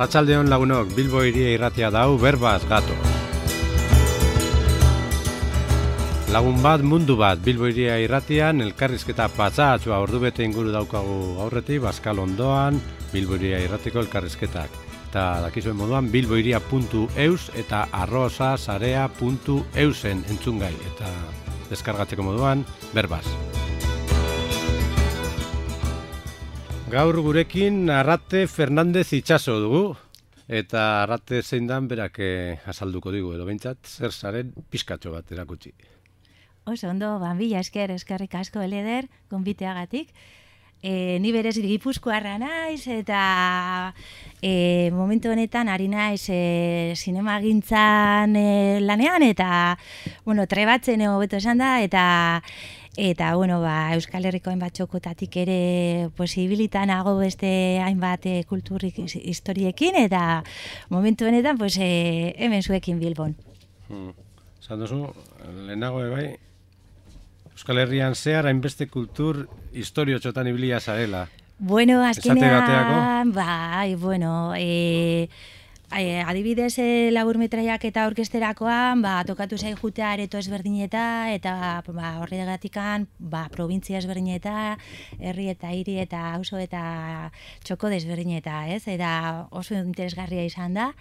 Arratsaldeon lagunok, Bilbo hiria irratia dau, berbaz gato. Lagun bat, mundu bat, Bilbo hiria irratian, elkarrizketa patxatxua ordubete inguru daukagu aurretik, Baskal ondoan, Bilbo hiria irratiko elkarrizketak. Eta dakizuen moduan, bilbohiria.eus eta arrosasarea.eusen entzungai. Eta deskargatzeko moduan, berbaz. Gaur gurekin Arrate Fernandez Itxaso dugu, eta Arrate zein dan berak azalduko digu, edo behintzat, zer zaren pizkatxo bat erakutsi. Oso ondo, banbila eskerrik asko eleder, gonbiteagatik. Ni berez Gipuzkoarra naiz, eta momentu honetan ari naiz zinemagintzan lanean, eta trebatzen hobeto esan da, eta Euskal Herriko hainbat txokotatik ere posibilitan nago beste hainbat kulturik historiekin, eta momentu honetan hemen zuekin Bilbon. Esan duzu, lehenago bai, Euskal Herrian zehar hainbeste kultur historio txotan ibilia zarela. Azkenean, adibidez laburmetraiak eta orkesterakoan, tokatu zai jutea areto ezberdineta, eta horregatikan provintzia ezberdineta, herri eta hiri eta auzo eta txoko desberdineta, ez? Eta oso interesgarria izan da,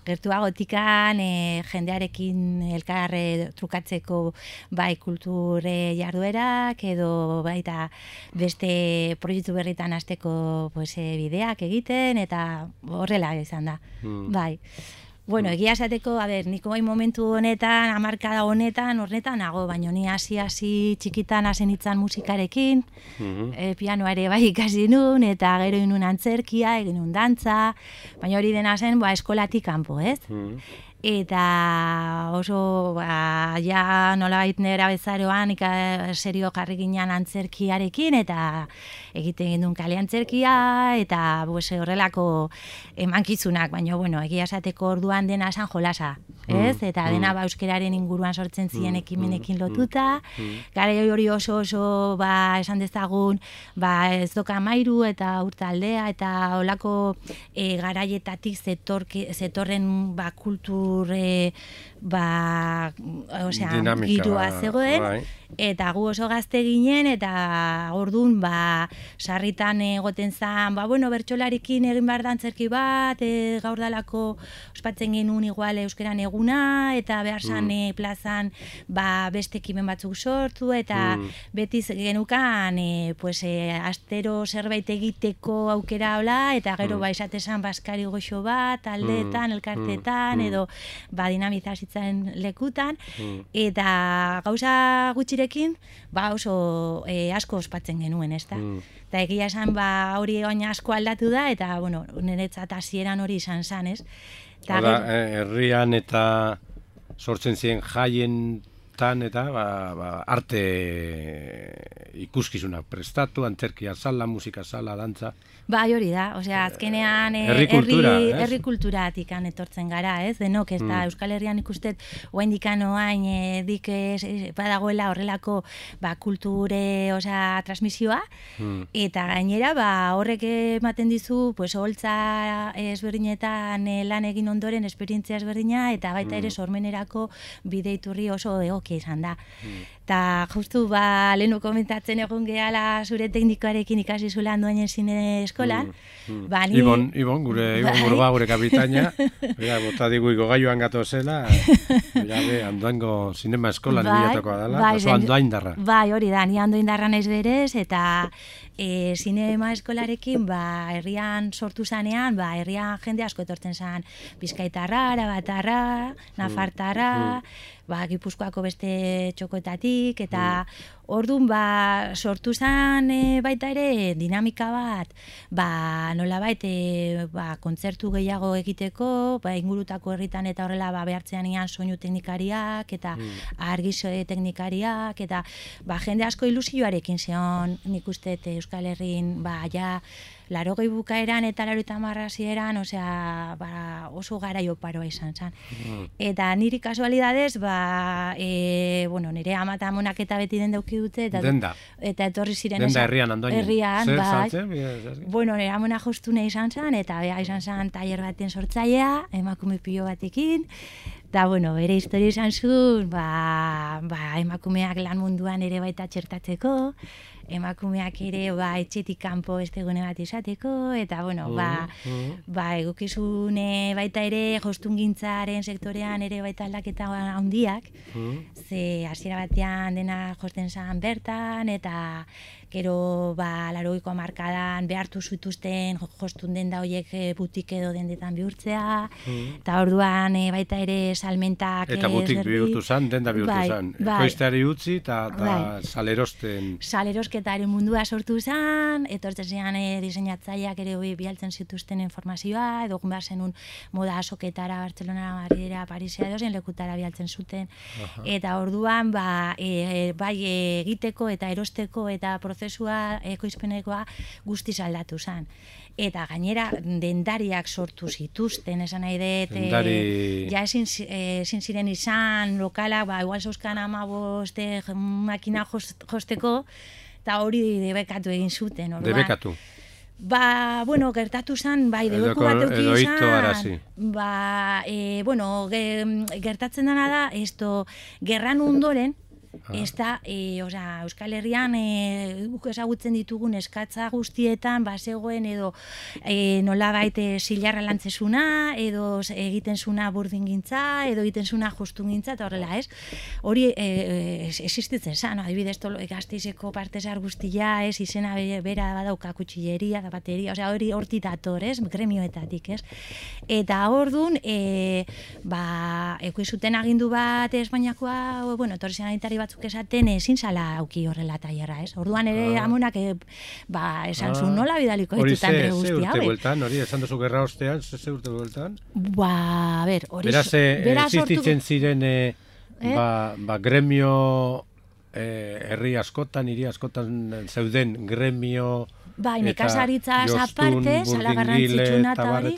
gertuagotikan jendearekin elkar trukatzeko kulture jarduerak, edo baita beste proiektu berritan hasteko bideak egiten, eta horrela izan da. Bai. Egia esateko, nik momentu honetan, hamarkada honetan nago, baina ni hasi txikitan hasen itzan musikarekin, pianoa ere bai ikasi nun, eta gero inun antzerkia, egin nun dantza, baina hori dena zen eskolatik kanpo, ez? Eta oso nolabait nera bezaroan serio jarri ginen antzerkiarekin, eta egiten gindun kale antzerkia, eta horrelako emankizunak, baina egia esateko orduan dena esan jolasa, ez? Eta dena euskeraren inguruan sortzen ziren ekimenekin lotuta, gara hori oso esan dezagun ez doka mairu eta urtaldea, eta olako garaietatik zetorren kultur girua zegoen, eta gu oso gazte ginen, eta orduan sarritan egoten zan, bertsolarikin egin behar dantzerki bat, gaur dalako ospatzen genuen igual euskeran eguna, eta behar zan plazan beste ekimen batzuk sortu, eta beti genukan astero zerbait egiteko aukera hola, eta gero esatezan baskari goxo bat, taldeetan, elkarteetan, edo dinamizazitzen lekutan, eta gauza gutxirekin oso asko ospatzen genuen, ez da? Eta egia esan hori baina asko aldatu da, eta niretzat hasieran hori izan zan, ez? Herrian eta sortzen ziren jaietan eta arte ikuskizunak prestatu, antzerkia sala, musika sala, dantza. Hori da, azkenean herri kulturatik etortzen gara, ez? Denok, ez da, Euskal Herrian ikustet oraindik dik badagoela horrelako kulture transmisioa, eta gainera horrek ematen dizu holtza ezberdinetan lan egin ondoren esperientzia ezberdina, eta baita ere sormenerako bide iturri oso egokia izan da. Eta justu lehenu komentatzen egon gehala zure teknikoarekin ikasi zulan duen zine eskolan. Ibon Burba, gure kapitaina, bota digu igogailuan gato zela, andoango zinema eskolan bilatakoa dela, oso andoaindarra. Hori da, ni andoaindarra naiz berez, eta zinema eskolarekin herrian sortu zanean, herrian jende asko etortzen zan, Bizkaitarra, Arabatarra, Nafartarra, Gipuzkoako beste txokoetatik, eta orduan sortu zen baita ere dinamika bat, nolabait kontzertu gehiago egiteko, ingurutako herritan eta horrela behartzean ian soinu teknikariak, eta argizo teknikariak, eta jende asko ilusioarekin zeon, nik uste Euskal Herrin, 80 bukaeran eta 80 hasieran, oso garaio paroa izan zen. Eta niri kasualidadez, nire ama eta amonak eta beti den dauki euki dute. Denda. Eta etorri ziren. Denda herrian Andoainen. Herrian, bai. Saltzen? Bueno, nire amona jostune izan zen, eta izan zen tailer baten sortzailea, emakume pilo batekin. Eta, bueno, bere historia izan zuen, emakumeak lan munduan ere baita txertatzeko, emakumeak ere etxetik kanpo beste gune bat izateko, eta, bueno, egokizune baita ere jostungintzaren sektorean ere baita aldaketa handiak, ze hasiera batean dena josten zen bertan, eta gero 80ko hamarkadan behartu zituzten jostun denda horiek butik edo dendetan bihurtzea, eta orduan baita ere salmentak... Eta butik bihurtu zen, denda bihurtu zen. Ekoizteari utzi eta salerosten... Salerosketaren mundua sortu zen, etortzen zian diseinatzaileak ere bialtzen zituzten informazioa, edo behar zenun moda asoketara, Bartzelona, Madridera, Parisia edo zen lekutara bialtzen zuten. Eta orduan egiteko eta erosteko eta prozesua ekoizpenekoa guztiz aldatu zen. Eta gainera dendariak sortu zituzten, esan nahi dut, ja ezin ziren izan lokalak, igual zeuzkan 15 makina josteko, eta hori debekatu egin zuten. Debekatu? Bueno, gertatu zen, debeku bat euki izan, gertatzen dena da, gerran ondoren, Euskal Herrian guk ezagutzen ditugun eskatza guztietan bazegoen edo nolabait zilarra lantzezuna, edo egiten zuna burdingintza, edo egiten zuna jostungintza, eta horrela, ez? Hori existitzen zen, adibidez Gasteizeko partesar guztia, ez? Izena bera badauka kutxilleria, zapateria, hori hortik dator, ez? Gremioetatik, ez? Eta orduan, ekoizuten agindu bat Espainiakoa, etorri sanitari batzuk esaten ezin zala auki horrela tailerra, ez? Orduan ere amonak esan zuen nola bidaliko ditutan guzti hauek. Hori urte bueltan, hori esan duzu gerra ostean, ze urte bueltan? Hori... Beraz, existitzen ziren gremio herri askotan, hiri askotan zeuden gremio... Nekazaritza aparte, sala garrantzitsuna eta hori,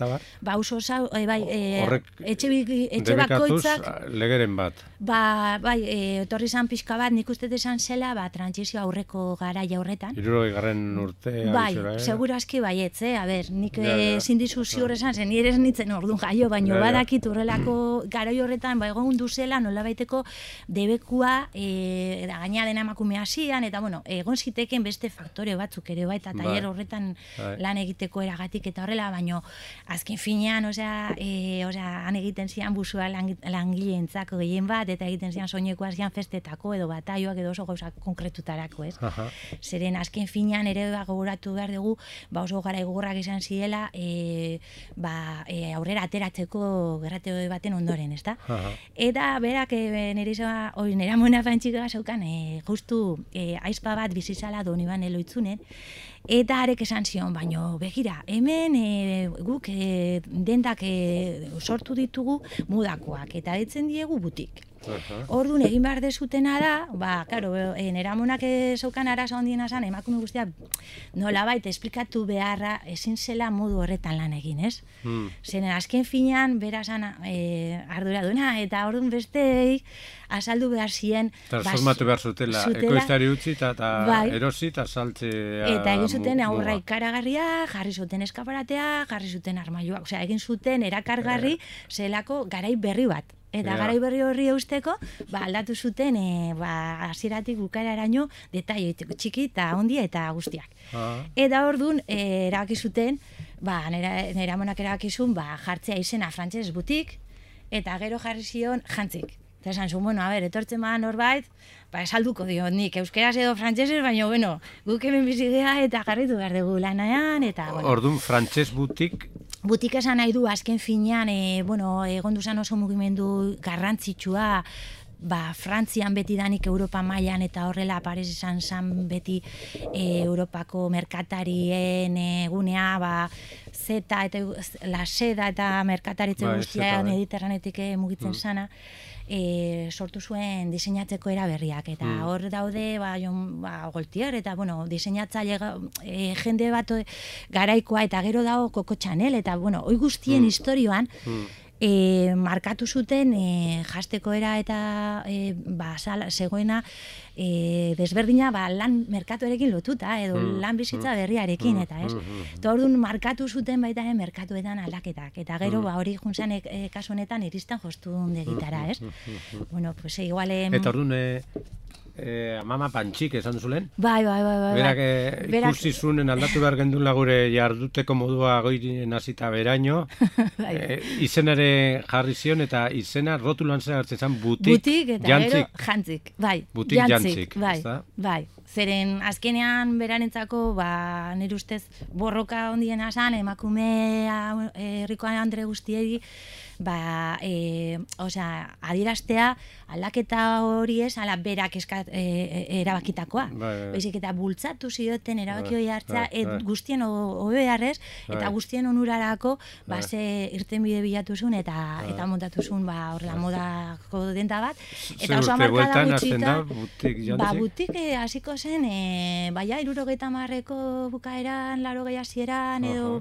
etxe bakoitzak... legeren bat. Etorri zan pixka bat, nik uste esan zela, trantsizio aurreko garaia horretan. 60. urtea. Seguro aski baietz, nik zindizu ziur esan zen, nire ez nintzen orduan jaio, baina badakit urrelako garai horretan, egon duzela nola baiteko debekua, gaina dena emakumea zian, eta egon ziteken beste faktore batzuk ere baita, tailer horretan lan egiteko eragatik eta horrela, baino azken finean, han egiten zian busua langileentzako gehien bat, eta egiten zian soinekoa zian festetako edo bataioak edo oso gauza konkretutarako, ez? Zeren azken finean ere gogoratu behar dugu, oso gara gogorrak izan ziela, aurrera ateratzeko gerrate baten ondoren, ezta? Eta berak nire amona fantxika zaukan, justu aizpa bat bizizala Doniban eloitzunen, eta arek esan zion, baino begira, hemen guk dendak sortu ditugu mudakoak, eta ditzen diegu butik. Orduan egin behar dezutena da, nera amonak zeukan arazo handiena zan, emakume guztia nolabait esplikatu beharra ezin zela modu horretan lan egin, ez? Zenen azken finean, bera zan arduraduna, eta orduan besteei azaldu behar ziren... Transformatu behar zutela, ekoizteari utzi eta erosi eta saltzea... Eta egin zuten aurra ikaragarria, jarri zuten eskaparatea, jarri zuten armailuak, egin zuten erakargarri zelako garai berri bat. Eta garai berri horri eusteko, aldatu zuten hasieratik bukaeraraino detaile txiki eta handia eta guztiak. Eta orduan erabaki zuten, nire amonak erabaki zuen jartzea izena frantses butik, eta gero jarri zion jantzik. Eta esan zuen, etortzen bada norbait, esalduko dio nik euskeraz edo frantsesez, baina, guk hemen bizigea eta jarritu behar dugu lanaean, eta... Orduan, frantses butik... Butik esan nahi du, azken finean, egon duzan oso mugimendu garrantzitsua, Frantzian beti danik Europa mailan eta horrela Paris izan zen beti Europako merkatarien egunea, zeta eta la seda eta merkataritze guztia mediterranetik mugitzen sana, sortu zuen diseinatzeko eraberriak, eta hor daude Gaultier eta diseinatzaile jende bat garaikoa, eta gero dago Coco Chanel, eta hoi guztien historioan markatu zuten jasteko era eta zegoena desberdina lan merkatuarekin lotuta edo lan bizitza berriarekin eta ez. Eta orduan markatu zuten baita merkatuetan aldaketak eta gero hori juntzan kasu honetan iristen jostun degitara, ez? Bueno, pues igual... Eta orduan Mama Pantxik esan duzulen? Bai. Berak ikusi zunen aldatu behar gendula gure jarduteko modua goirien hasita beraino. Izenare jarri zion eta izena rotulan zer hartzen zen butik eta gero jantzik. Bai, butik jantzik. Bai. Zeren azkenean berarentzako, nire ustez borroka ondiena zan, emakumea herrikoan Andre guztiei, adieraztea aldaketa hori ez, ala berak erabakitakoa. Baizik eta bultzatu zioten erabaki hori hartza, guztien hobe beharrez, eta guztien onurarako ze irtenbide bilatu zuen eta montatu zuen horrela modako denta bat. Eta oso amarkada gutxita, butik hasiko zen, 70ko bukaeran, 80 hasieran, edo,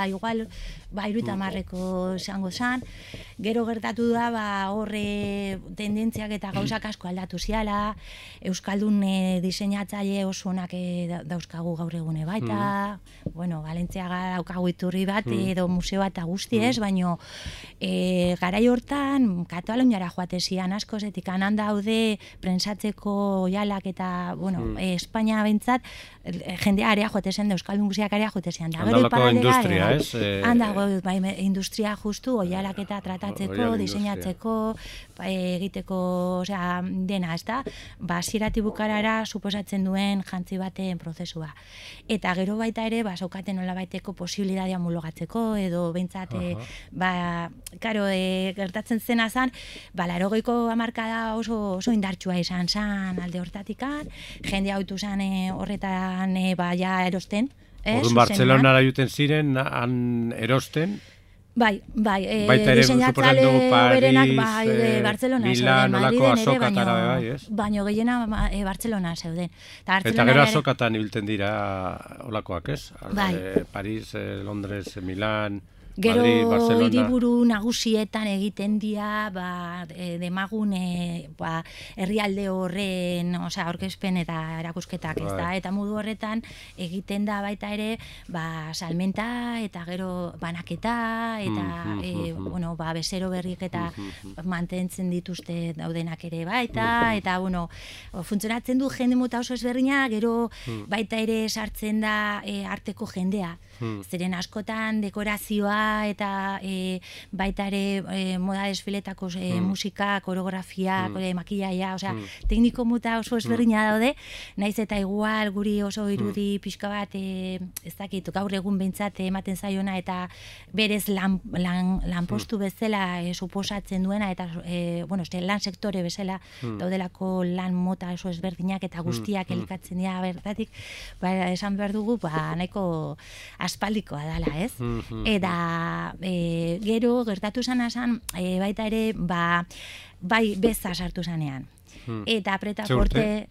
igual, 70ko izango zen. Gero gertatu da, horre tendentziak eta gauzak asko aldatu ziala, Euskaldun diseinatzaile oso onak dauzkagu gaur egune baita, Valentziaga daukagu iturri bat, edo museo bat guzti ez, baina garai hortan Kataluniara joate zian asko, zetik anan daude prentsatzeko oialak eta, Espainia bentsat, jendea area joate zen, Euskaldun guziak area joate zian. Handalako industria, ez? Handago, industria justu, oialak eta tratatzeko, diseinatzeko, egiteko, dena, ez da? Zirati bukarara suposatzen duen jantzi baten prozesua. Eta gero baita ere, zaukaten nola baiteko posibilitatea mulogatzeko, edo bentsat, gertatzen zena zan, 80ko hamarkada oso indartsua izan zan alde hortatikan, jende autu zan horretan erosten. Orduan Bartzelonara juten ziren, han erosten? Bai, baita ere suposatzen dugu Paris, Milan, olako azokatara bai, ez? Baina gehiena Bartzelona zeuden. Eta gero azokatan ibiltzen dira olakoak, ez? Bai. Paris, Londres, Milan... Gero hiriburu nagusietan egiten dira demagun herrialde horren aurkezpen eta erakusketak, ez da? Eta modu horretan egiten da baita ere salmenta eta gero banaketa eta bezero berrik eta mantentzen dituzte daudenak ere baita eta funtzionatzen du jende mota oso ezberdina, gero baita ere sartzen da arteko jendea. Zeren askotan dekorazioa eta baita ere moda desfiletako musika, koreografia, makillaia, tekniko mota oso ezberdina daude, naiz eta igual guri oso irudi pixka bat, ez dakit, gaur egun behintzat ematen zaiona eta berez lanpostu bezala suposatzen duena eta lan sektore bezala daudelako lan mota oso ezberdinak eta guztiak elikatzen dira bertatik, esan behar dugu nahiko aspaldikoa dela, ez? Eta gero gertatu zan baita ere bai beza sartu zanean. Eta pretaporte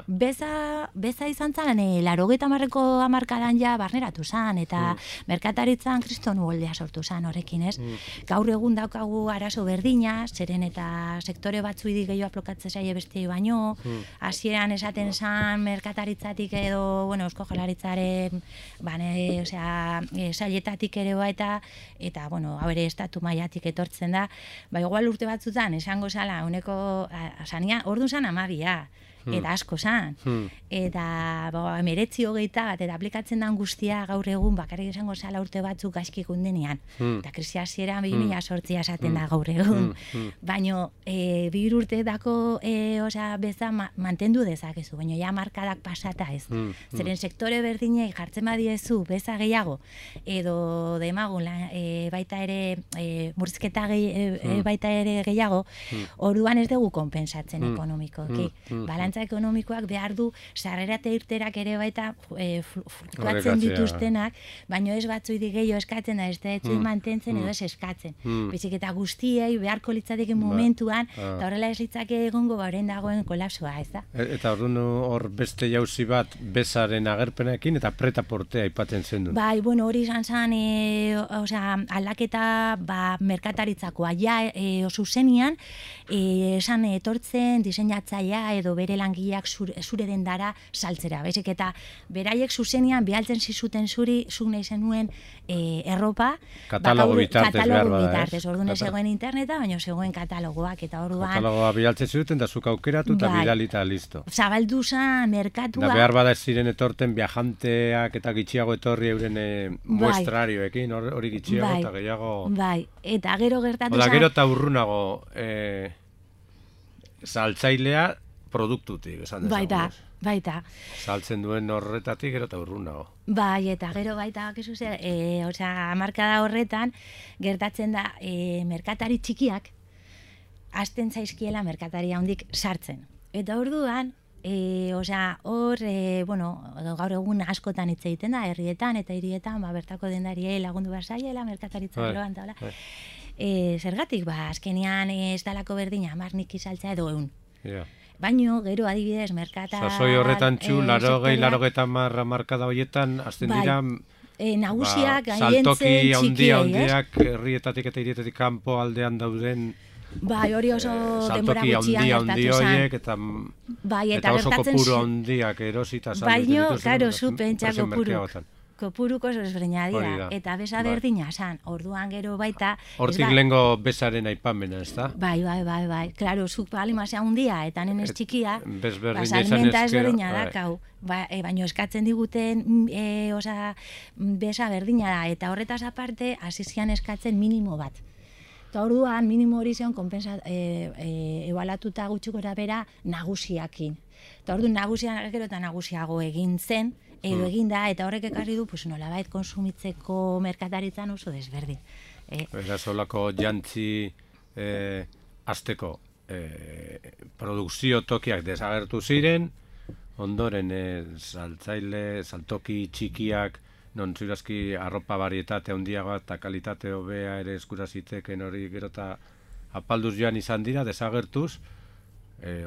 beza izan zan 80ko hamarkadan barneratu zan eta merkataritzan kriston uholdea sortu zan horrekin, ez? Gaur egun daukagu arazo berdina, zeren eta sektore batzuidi gehiago aplokatzen zaie beste baino, hasieran esaten zan merkataritzatik edo, Eusko Jaurlaritzaren sailetatik ere baita, eta, hau ere estatu mailatik etortzen da, igual urte batzutan, esango zala, orduan zan 12, eta asko zan. Eta 19-20 bat, eta aplikatzen den guztia gaur egun bakarrik esango zala urte batzuk gaizki gundenean. Eta krisi hasieran 2008 esaten da gaur egun. Baina 2 urteetako beza mantendu dezakezu, baina ja markadak pasata ez. Zeren sektore berdinei jartzen badiezu beza gehiago, edo demagun baita ere murrizketa baita ere gehiago, orduan ez dugu konpensatzen ekonomikoki. finantza ekonomikoak behar du sarrera eta irterak ere baita fluktuatzen dituztenak, baino ez batzuidi gehiago eskatzen da, ez da etxin mantentzen edo ez eskatzen. Bezik eta guztiei beharko litzateke momentuan, eta horrela ez litzake egongo orain dagoen kolapsoa, ez da? Eta orduan hor beste jauzi bat bezaren agerpenekin eta preta-portea aipatzen zen du. Bai, bueno, hori izan zen, aldaketa merkataritzakoa, zuzenian, esan etortzen diseinatzailea edo bere langileak zure dendara saltzera. Bezik eta beraiek zuzenian behaltzen zizuten zuri, zuk nahi zenuen erropa. Katalogo bitartez behar bada, ez? Orduan ez zegoen interneta, baina zegoen katalogoak, eta orduan... Katalogoa behaltzen zuten, da zuk aukeratu eta bidalita listo. Zabaldu zen merkatua... Da behar bada ez ziren etorten viajanteak eta gitxiago etorri euren muestrarioekin, hori gitxiago eta gehiago... Bai, eta gero gertatu zen... Gero eta urrunago saltzailea produktutik, esan dezagun. Baita. Saltzen duen horretatik gero eta urrunago. Bai, eta gero baita, hamarkada horretan, gertatzen da, merkatari txikiak, hasten zaizkiela merkatari handik sartzen. Eta orduan, gaur egun askotan hitz egiten da, herrietan eta hirietan, bertako dendariei lagundu barzaiela, merkataritza geroan, eta hola. Zergatik, azkenean ez dalako berdina, 10 niki saltzea edo 100. Baino, gero adibidez, merkatar... Sasoi horretan txu, 80 markada horietan, azten dira... Nagusiak, saltoki handiak, herrietatik eta hirietatik kanpo aldean dauden... Bai, hori oso denbora gutxian gertatu zen. Eta oso kopuru handiak erosita saldu dituzten. Baino, karo, zu pentsa kopuruko oso ezberdina dira. Eta besa berdina zan, orduan gero baita... Hortik lehengo besaren aipamena, ez da? Bai. Klaro, zuk palimazea handia eta nenez txikia, salmenta ezberdina dakau. Baina eskatzen diguten besa berdina da, eta horretaz aparte, hasizian eskatzen minimo bat. Eta orduan, minimo hori zeon ebalatuta gutxiko bera nagusiakin. Eta orduan, nagusiak gero eta nagusiago egin zen, edo egin da, eta horrek ekarri du, nolabait konsumitzeko merkataritzan oso desberdin. Beraz, holako jantzi azteko produkzio tokiak desagertu ziren, ondoren saltoki txikiak, non zurazki arropa barietate handiagoa eta kalitate hobea ere eskura ziteken hori gero eta apalduz joan izan dira, desagertuz,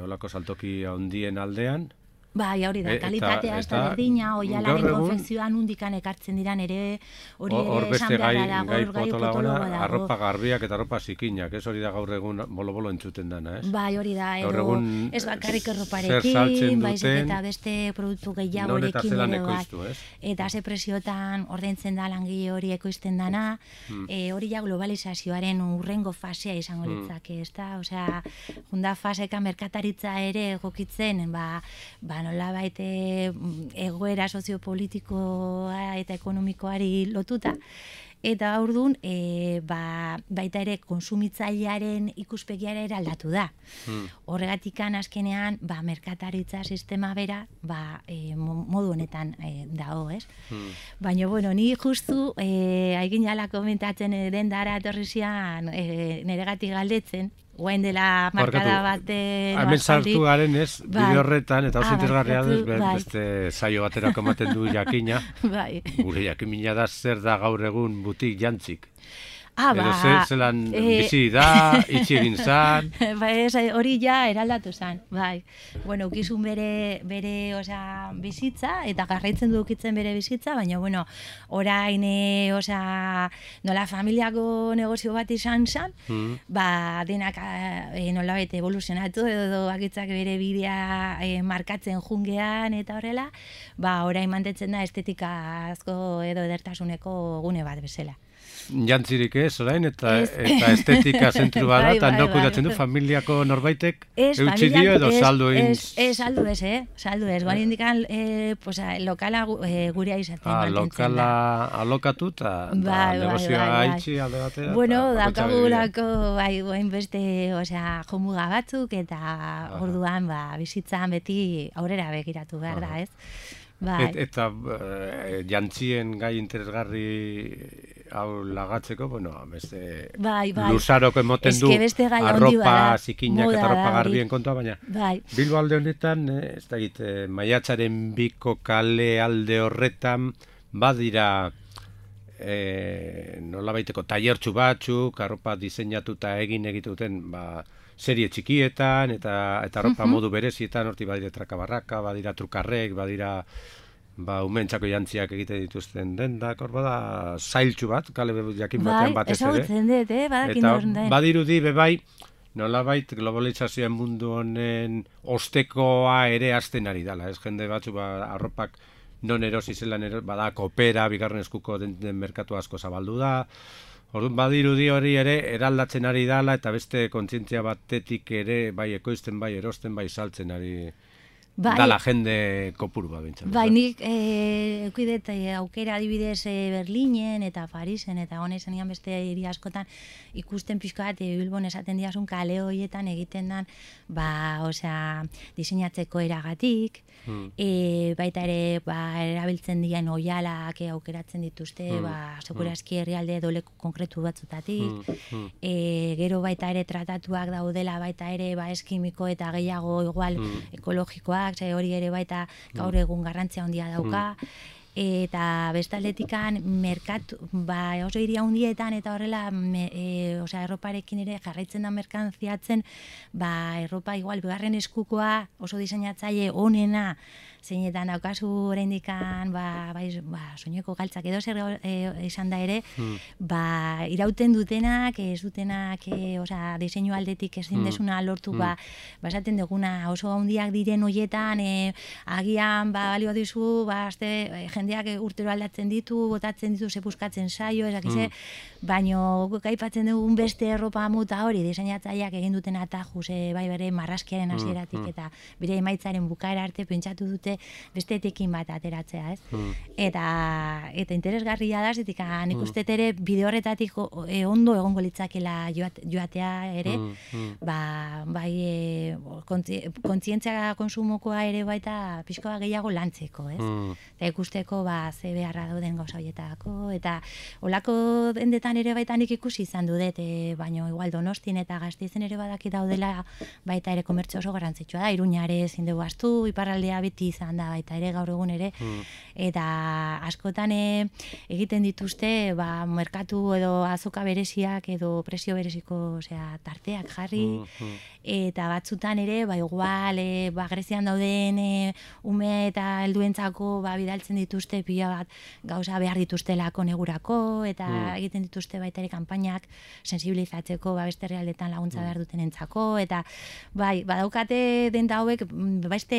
holako saltoki handien aldean. Bai, hori da, kalitatea ez da berdina, oialaren konfekzioan undikan ekartzen diran ere, hori ere esan beharra dago, gai potologo dago. Arropa garbiak eta arropa zikinak, ez hori da gaur egun bolo-bolo entzuten dana, ez? Bai, hori da, edo ez bakarrik erroparekin, baizik eta beste produktu gehiagorekin ere bai. Eta ze presiotan ordaintzen da langile hori ekoizten dana, hori ja globalizazioaren urrengo fasea izango litzake, ez da? Osea, junda faseka merkataritza ere egokitzen, nolabait egoera soziopolitikoa eta ekonomikoari lotuta. Eta orduan, baita ere konsumitzailearen ikuspegiara ere aldatu da. Horregatikan azkenean, merkataritza sistema bera, modu honetan dago, ez? Baina, ni justu, haikin jala komentatzen dendara etorrizian neregatik galdetzen, guain dela markada baten... Hemen sartu garen ez, bide horretan, eta oso interesgarria beste saio baterako ematen du jakina. Gure jakimina da zer da gaur egun butik jantzik. Edo zelan bizi da, itxi egin zan... Hori ja eraldatu zan, bai. Bueno, ukizun bere bizitza, eta garraitzen du ukitzen bere bizitza, baina, orain, nola familiako negozio bat izan zan, denak nolabait evoluzionatu, edo bakitzak bere bidea markatzen jungean, eta horrela, orain mantetzen da estetika asko edo edertasuneko gune bat bezala. Jantzirik ez, orain, eta estetika zentru bada, eta no kudatzen du familiako norbaitek eutxi dio edo saldu egin... Saldu ez, guan indikan lokala gurea izaten mantentzen da. Lokala alokatu eta negozioa haitxi alde batera. Bueno, dakagulako guain beste jomuga batzuk, eta orduan bizitzan beti aurrera begiratu behar da, ez? Eta jantzien gai interesgarri hau lagatzeko, bueno, beste bai. luzaroko emoten du arropa zikinak eta arropa garbien kontua, baina Bilbo alde honetan, ez da egite, Maiatzaren 2ko kale alde horretan, badira nolabaiteko tailertxu batzuk, arropa diseinatuta egituten, serie txikietan, eta arropa modu berezietan, horti badira trakabarraka, badira trukarrek, badira umentzako jantziak egiten dituzten dendak, hor bada zailtxu bat, kale jakin batean batez ere. Ezagutzen dut, badakin horren den. Eta badirudi bebai, nolabait globalizazioen mundu honen ostekoa ere hasten ari dela, ez jende batzu arropak non erosi zelan bada kopera, bigarren eskuko den merkatu asko zabaldu da, orduan badirudi hori ere eraldatzen ari dela eta beste kontzientzia batetik ere bai ekoizten, bai erosten, bai saltzen ari dala jende kopuru bat bintzen. Bai, nik eukidet aukera adibidez Berlinen eta Parisen eta hona izan beste hiri askotan ikusten pixka bat Bilbon esaten diasun kale horietan egiten dan diseinatzeko eragatik, baita ere erabiltzen dian oialak aukeratzen dituzte, segurazki herrialde edo leku konkretu batzutatik, gero baita ere tratatuak daudela baita ere eskimiko eta gehiago igual ekologikoak, hori ere baita gaur egun garrantzia handia dauka, eta bestaldetikan merkatu, oso hiri handietan eta horrela, erroparekin ere jarraitzen da merkantziatzen, erropa igual bigarren eskukoa oso diseinatzaile onena, zeinetan daukazu oraindikan soineko galtzak edo zer izan da ere, irauten dutenak, ez dutenak, diseinu aldetik ezin desuna lortu, esaten duguna oso handiak diren hoietan, agian balio dizu, jendeak urtero aldatzen ditu, botatzen ditu, zepuskatzen saio, ezakize, baino aipatzen dugun beste erropa mota hori, diseinatzaileak egin duten atajuz, bai bere marraskiaren hasieratik eta bere emaitzaren bukaera arte pentsatu dute beste etekin bat ateratzea, ez? Eta interesgarria da, zitik nik uste ere bide horretatik ondo egongo litzakela joatea ere, bai kontzientzia konsumokoa ere baita pixkoa gehiago lantzeko, ez? Eta ikusteko ze beharra dauden gauza horietako, eta olako dendetan ere baita nik ikusi izan dudet, baino igual Donostin eta Gasteizen ere badaki daudela baita ere komertzio oso garrantzitsua da, Iruña ere ezin dugu ahaztu, iparraldea beti izan da baita ere gaur egun ere, eta askotan egiten dituzte merkatu edo azoka bereziak edo presio bereziko tarteak jarri, eta batzutan ere igual Grezian dauden ume eta helduentzako bidaltzen dituzte pila bat gauza behar dituztelako negurako, eta egiten dituzte baita ere kanpainak sensibilizatzeko beste herrialdetan laguntza behar dutenentzako, eta badaukate denda hauek beste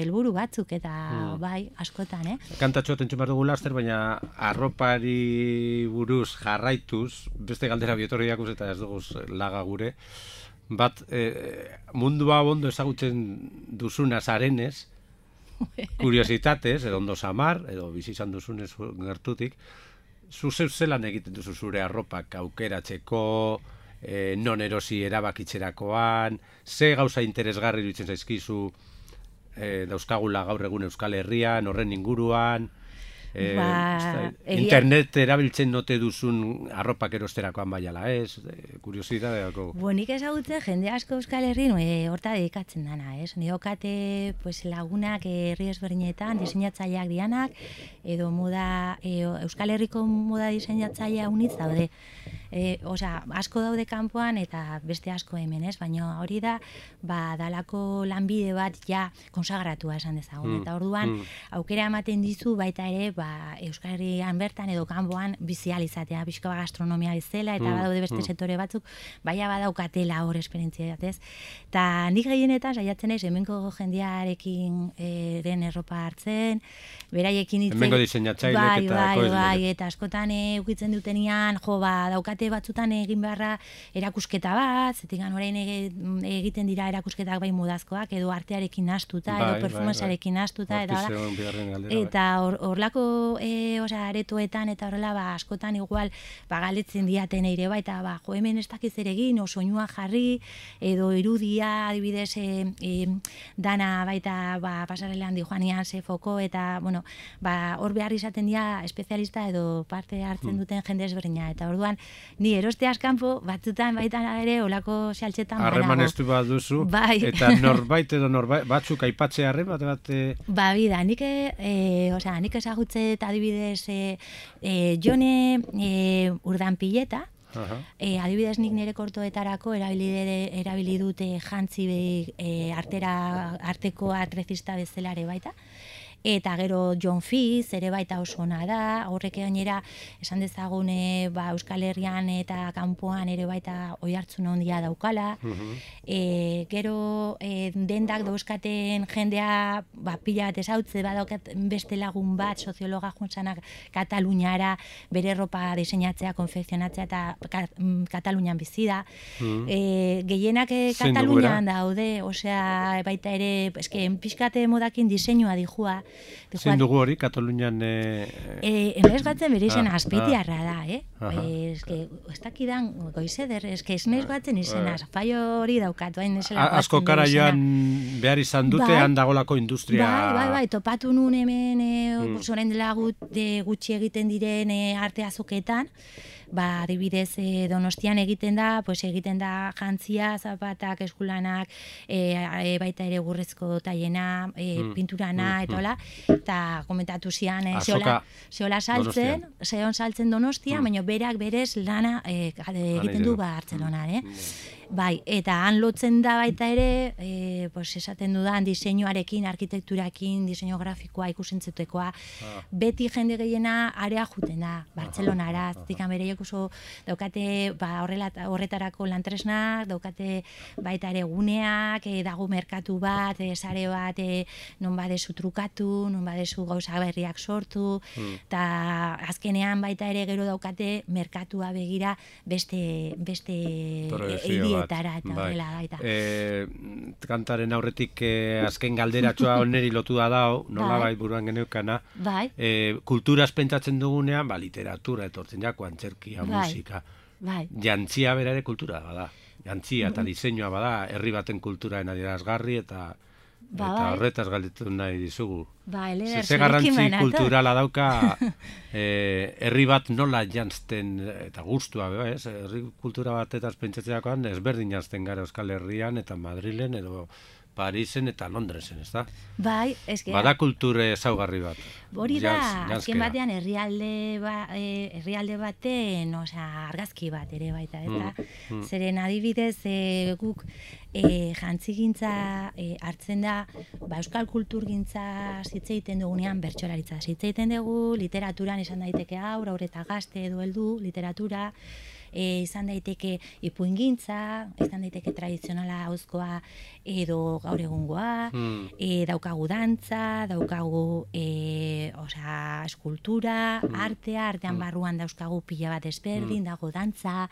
helburu batzuk, eta askotan, Kantatxo atentzun behar dugu laster, baina arropari buruz jarraituz, beste galdera bietorri jakuz eta ez dugu laga gure, mundua ondo ezagutzen duzuna zarenez, kuriositatez, edo ondo samar, edo bizi izan duzunez gertutik, zuzeu zelan egiten duzu zure arropak aukeratzeko, non erosi erabakitzerakoan, ze gauza interesgarri dutzen zaizkizu dauzkagula gaur egun Euskal Herrian, horren inguruan, internet erabiltzen note duzun arropak erosterakoan baiala, ez? Kuriositateako. Nik ezagutzen jende asko Euskal Herrin horta dedikatzen dana, ez? Niokate lagunak herri ezberdinetan diseinatzaileak dianak, edo Euskal Herriko moda diseinatzailea unitz daude. Asko daude kanpoan eta beste asko hemen, ez? Baina hori da, dalako lanbide bat ja konsagratua esan dezagun. Eta orduan, aukera ematen dizu baita ere, Euskal Herrian bertan edo kanpoan bizializatea, pixka gastronomia bezala, eta badaude beste sektore batzuk, badaukatela hor esperientzia ez? Eta nik gehienetan saiatzen ez, hemengo jendearekin den erropa hartzen, beraiekin hemengo diseinatzailek eta ekoizleek. Eta askotan ukitzen dutenian, daukate daukate batzutan egin beharra erakusketa bat, zetik orain egiten dira erakusketak bai modazkoak, edo artearekin nahastuta, edo performancearekin nahastuta, eta horlako aretoetan, eta horrela, askotan igual, galetzen diaten ere, eta hemen ez dakiz ere egin, soinua jarri, edo irudia, adibidez, dana baita pasarelean di joanian ze foko, eta, bueno, hor behar izaten dira espezialista edo parte hartzen duten jende ezberdina, eta orduan, ni eroste askanpo, batzutan baitan ere, olako xaltxetan banago. Harreman estu bat duzu, eta norbait edo batzuk aipatzea harreman bat? Bida, nik ezagutzet adibidez Jone Urdanpileta, adibidez nik nire kortoetarako erabili dute jantzi arteko artrezista bezalare baita. Eta gero John Fitz ere baita oso ona da, horrek gainera esan dezagun Euskal Herrian eta kanpoan ere baita oihartzun handia daukala. Gero dendak dauzkaten jendea pila bat ezautze badaukat beste lagun bat soziologa juntzanak Kataluniara bere ropa diseinatzea, konfekzionatzea eta Katalunian bizi da. Gehienak Katalunian daude, osea baita ere pixkate modakin diseinua dijua. Zein dugu hori, Katalunian... Enaiz batzen bere izena azpeitiarra da, ez dakidan goizeder, ez naiz batzen izena, faio hori daukatu, hain nesela batzen. Asko kara joan behar izan dute, handagolako industria... Bai, topatu nun hemen, zoren dela gutxi egiten diren arte azoketan, adibidez Donostian egiten da jantzia, zapatak, eskulanak, baita ere gurrezko taiena, pinturana, eta hola, eta komentatu zian, zehola saltzen Donostia, baina berak berez lana egiten du Bartzelonan, Bai, eta han lotzen da baita ere, esaten dudan diseinuarekin, arkitekturakin, diseinu grafikoa, ikusentzetekoa, beti jende gehiena area juten da, Bartzelonara, zikan bereiek oso daukate horretarako lantresnak, daukate baita ere guneak, dago merkatu bat, sare bat, non badezu trukatu, non badezu gauza berriak sortu, eta azkenean baita ere gero daukate merkatua begira beste hirietara eta horrela baita. Kantaren aurretik azken galderatxoa oneri lotu da dao, nola bai buruan geneukana. Kulturaz pentsatzen dugunean, literatura etortzen jako, antzerkia, musika. Jantzia bera ere kultura bada. Jantzia eta diseinua bada, herri baten kulturaen adierazgarri eta horretaz galdetu nahi dizugu. Ze garrantzi kulturala dauka herri bat nola jantzten eta gustua, herri kultura batetaz pentsatzeakoan ezberdin jantzten gara Euskal Herrian eta Madrilen edo Parisen eta Londresen, ez da? Bai, eske... Bada kulture ezaugarri bat. Hori da, azken batean herrialde baten, argazki bat ere baita, eta zeren adibidez guk jantzigintza hartzen da, euskal kulturgintza zitzeiten dugunean bertsolaritza. Zitzeiten dugu, literaturan izan daiteke haur eta gazte edo heldu, literatura, izan daiteke ipuingintza, izan daiteke tradizionala hauzkoa edo gaur egungoa, daukagu dantza, daukagu eskultura, artean barruan dauzkagu pila bat ezberdin, dago dantza,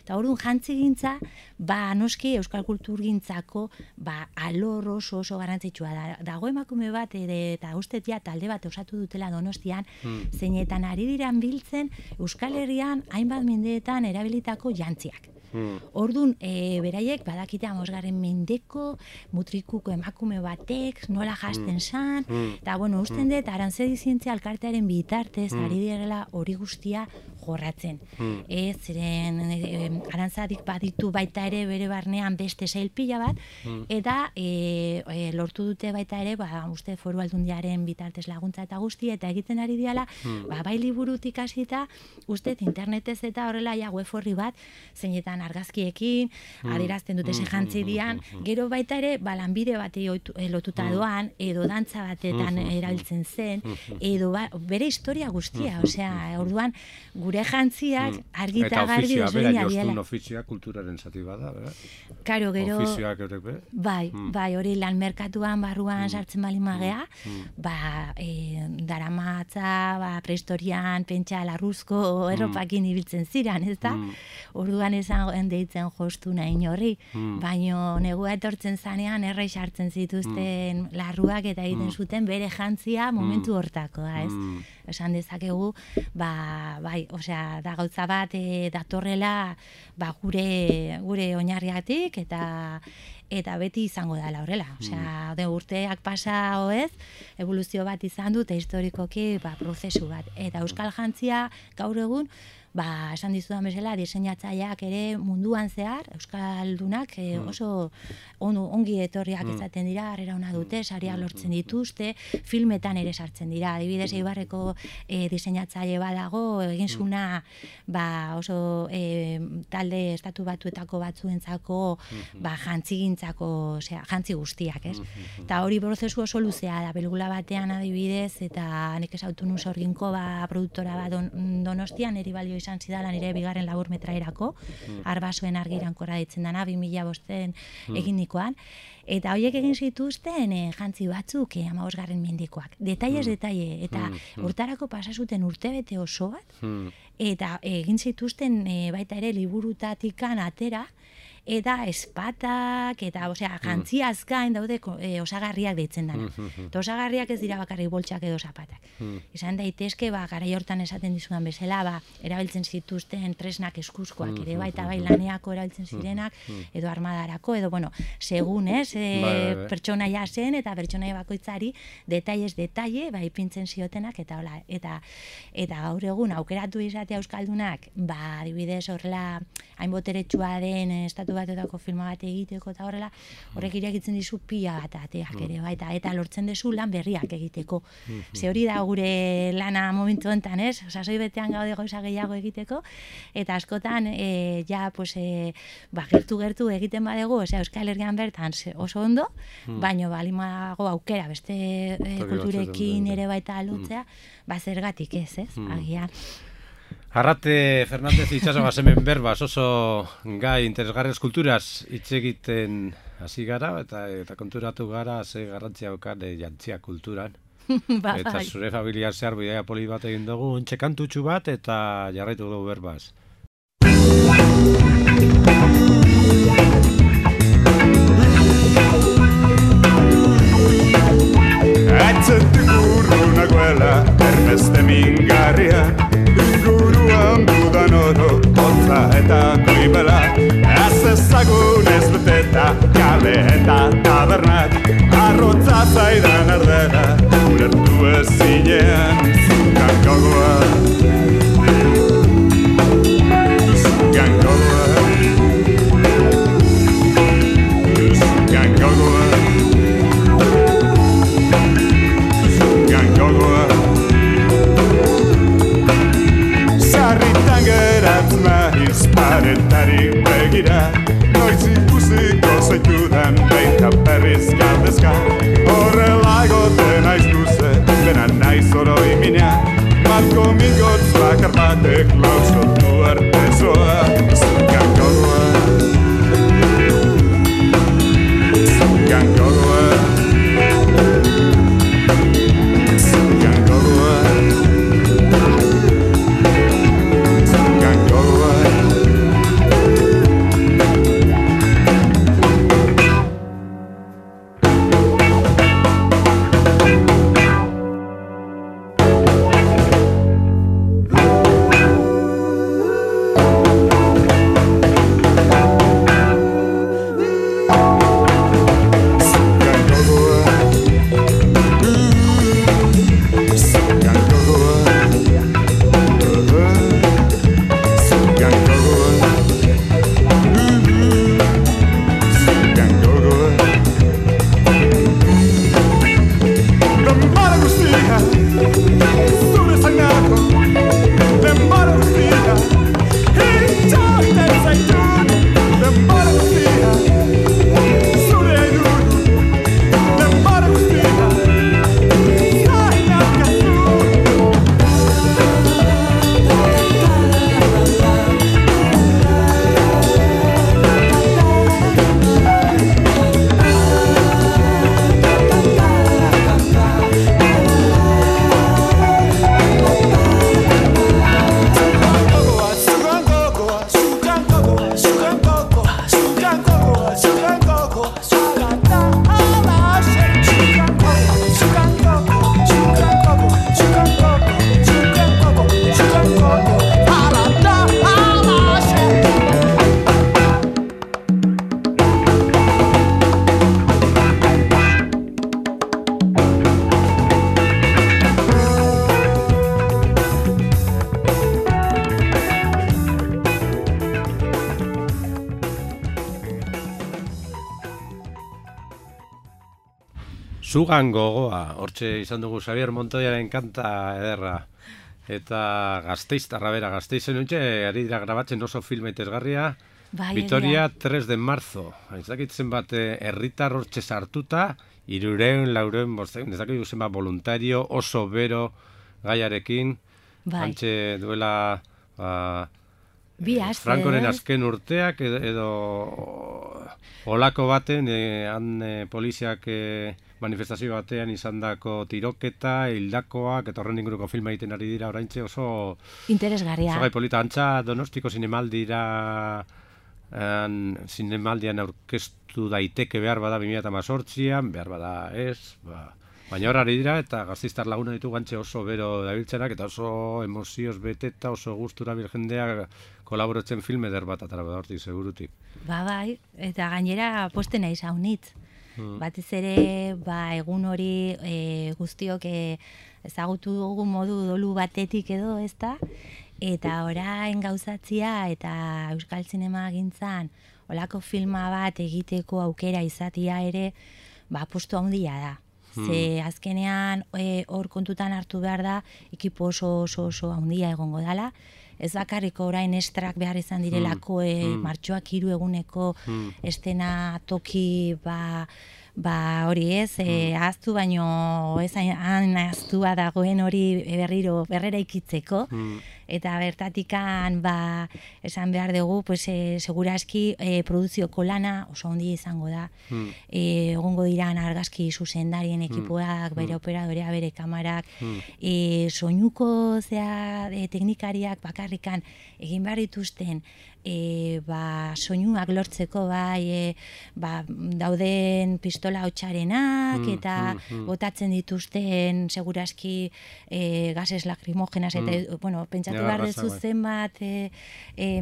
eta orduan jantzigintza, noski euskal kulturgintzako alor oso garrantzitsua da. Dago emakume bat, eta ustez talde bat osatu dutela Donostian, zeinetan ari diran biltzen Euskal Herrian hainbat mendeetan erabilitako jantziak. Orduan, beraiek badakite 5. mendeko mutrikuko emakume batek nola jasten zan, eta usten dut Arantzadi Zientzia Elkartearen bitartez ari direla hori guztia jorratzen. Ziren Arantzadik baditu baita ere bere barnean beste sail pila bat, eta lortu dute baita ere, uste Foru Aldundiaren bitartez laguntza eta guzti, eta egiten ari diala, bai liburutik hasita, uste internetez eta horrela web orri bat, zeinetan argazkiekin, adierazten dute ze jantzi dian, gero baita ere, lanbide bati lotuta doan, edo dantza batetan erabiltzen zen, edo bere historia guztia, osea, orduan, gure jantziak argita garbi desberdina diela. Bera, jostun ofizioa kulturaren zati bada, bera? Karo, gero... Ofizioak eurek, bera? Bai, hori lan merkatuan barruan sartzen bali magea, daramatza, prehistorian, pentsa, larruzko erropakin ibiltzen ziren, ez da? Orduan esan deitzen jostu nahi horri, baino negua etortzen zanean errei sartzen zituzten larruak eta egiten zuten bere jantzia momentu hortakoa, ez? Esan dezakegu, bai, osea, da gauza bat datorrela gure oinarriatik eta beti izango dela horrela. Osea, urteak pasa oez, evoluzio bat izan dut, historikoki prozesu bat. Eta euskal jantzia gaur egun, esan dizudan bezala, diseinatzaileak ere munduan zehar, euskaldunak oso ongi etorriak izaten dira, harrera ona dute, sariak lortzen dituzte, filmetan ere sartzen dira. Adibidez, Eibarreko diseinatzaile badago, egin zuna oso talde estatu batuetako batzuentzako jantzigintzako, osea, jantzi guztiak, ez? Eta hori prozesu oso luzea da, pelikula batean adibidez, eta nik esautu nun Sorginko produktora bat Donostian, eri balio izan zidala nire bigarren laburmetraerako, Arbasoen argirankorra ditzen dana, 2005 egin nikoan, eta horiek egin zituzten jantzi batzuk 15. mendikoak. Detailes, eta urtarako pasazuten urtebete oso bat, eta egin zituzten baita ere liburutatikan atera, eta espatak, eta jantziaz gain daude osagarriak deitzen dana. Eta osagarriak ez dira bakarrik boltsak edo zapatak. Izan daitezke, garai hortan esaten dizudan bezala, erabiltzen zituzten tresnak eskuzkoak ere, eta bai laneako erabiltzen zirenak, edo armadarako, edo, segun, pertsonaia zen, eta pertsonaia bakoitzari, detailes, ipintzen ziotenak, eta hola, eta gaur egun, aukeratu izatea euskaldunak, adibidez horrela, hain boteretsua den estatu batetako filma bat egiteko eta horrela, horrek irekitzen dizu pila bat ateak ere, eta lortzen dezu lan berriak egiteko. Ze hori da gure lana momentu honetan, ez? Sasoi betean gaude gauza gehiago egiteko, eta askotan, gertu egiten badegu, Euskal Herrian bertan oso ondo, baino balimago aukera, beste kulturekin ere baita lotzea, zergatik ez, agian. Arrate Fernández itxaso hemen berbaz, oso gai interesgarriz kulturaz hitz egiten hasi gara, eta konturatu gara ze garrantzia daukan jantzia kulturan. Eta zure familia zehar bidaia poli bat egin dugu, ontxe kantutxu bat, eta jarraitu dugu berbaz. Atzetik urrunagoela, erbeste mingarria, inguruan dudan oro, hotza eta goibela. Ez ezagun ez beteta, kale eta tabernak, arrotza zaidan ardera, urertu ezinean, zukan gogoa. Zukan gogoa. Zukan gogoa. Sarritan geratzen nahiz paretari begira, noiz ikusiko zaitudan baita berriz galdezka. Horrela egoten naiz luze, dena naiz oroi mina, marko mingotz bakar batek lauskotu arte zoa. Zukan gogoa. Zukan gogoa. Zugan gogoa, hortxe izan dugu Xabier Montoyaren kanta ederra. Eta Gasteiztarra bera, Gasteizen nuntxe, ari dira grabatzen oso filme itezgarria. Vitoria 3 de marzo. Ezakitzen bat herritar hortxe sartuta, 300, ezakitzen zenbat voluntario, oso bero gaiarekin. Hantxe duela Francoren azken urteak edo olako baten, poliziak manifestazio batean izandako tiroketa, hildakoak, eta horren inguruko filma egiten ari dira oraintxe oso interesgarria. Oso gai polita, antza Donostiko zinemaldian aurkeztu daiteke behar bada 2018an, behar bada ez, baina hor ari dira, eta Gasteiztar laguna ditu gantxe oso bero dabiltzenak, eta oso emozioz beteta, oso gustura bil jendea kolaboratzen film eder bat atara bada hortik, segurutik. Bai, eta gainera posten nahi zaunitz. Batez ere, egun hori guztiok ezagutu dugu modu dolu batetik edo, ezta? Eta orain gauzatzia eta Euskal Zinema gintzan olako filma bat egiteko aukera izatia ere, postu handia da. Ze azkenean hor kontutan hartu behar da, ekipo oso handia egongo dala. Ez bakarriko orain estrak behar izan direlako martxoak 3 eguneko estena toki hori ez, ahaztu baino ez ahaztua dagoen hori berrera ikitzeko. Eta bertatikan esan behar dugu, seguraski produzioko lana oso handia izango da. Egongo diran argazki zuzendarien ekipoak, bere operadorea, bere kamarak, soinuko teknikariak bakarrikan egin behar dituzten soinuak lortzeko dauden pistola hotxarenak eta botatzen dituzten seguraski gases lakrimogenas eta pentsatu behar dezu zenbat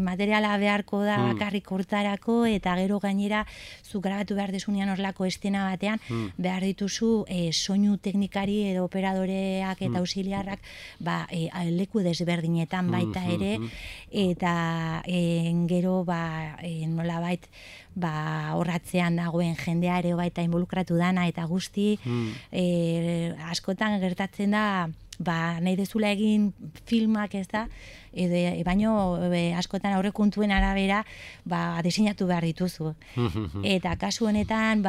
materiala beharko da bakarrik hortarako eta gero gainera zu grabatu behar dezunean horlako estena batean behar dituzu soinu teknikari edo operadoreak eta auxiliarrak leku desberdinetan baita ere eta gero nolabait horratzean dagoen jendea ere baita involukratu dana eta guzti askotan gertatzen da nahi dezula egin filmak ez da, baino askotan aurrekontuen arabera diseinatu behar dituzu. Eta kasu honetan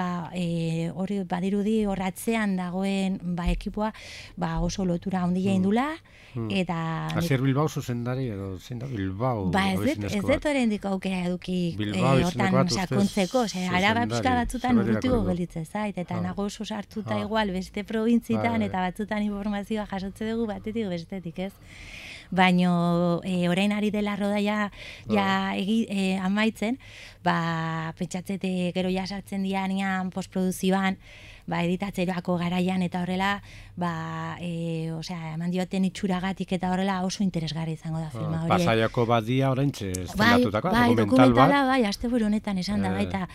hori badirudi horratzean dagoen ekipoa oso lotura handia indula eta Asier Bilbao zuzendari edo zein da Bilbao ez dut horrendik aukera eduki hortan sakontzeko, araba pixka batzutan urrutiko gelditzen zait eta nago oso sartuta igual beste probintzitan eta batzutan informazioa jasotze dugu batetik bestetik ez. Baino orain ari dela rodaia amaitzen, pentsatzete gero ja sartzen dianean postproduzioan, editatzerako garaian eta horrela, eman dioten itxuragatik eta horrela oso interesgarri izango da filma hori. Pasaiako badia oraintxe estenatutakoa, dokumentala bat. Asteburu honetan esan da baita.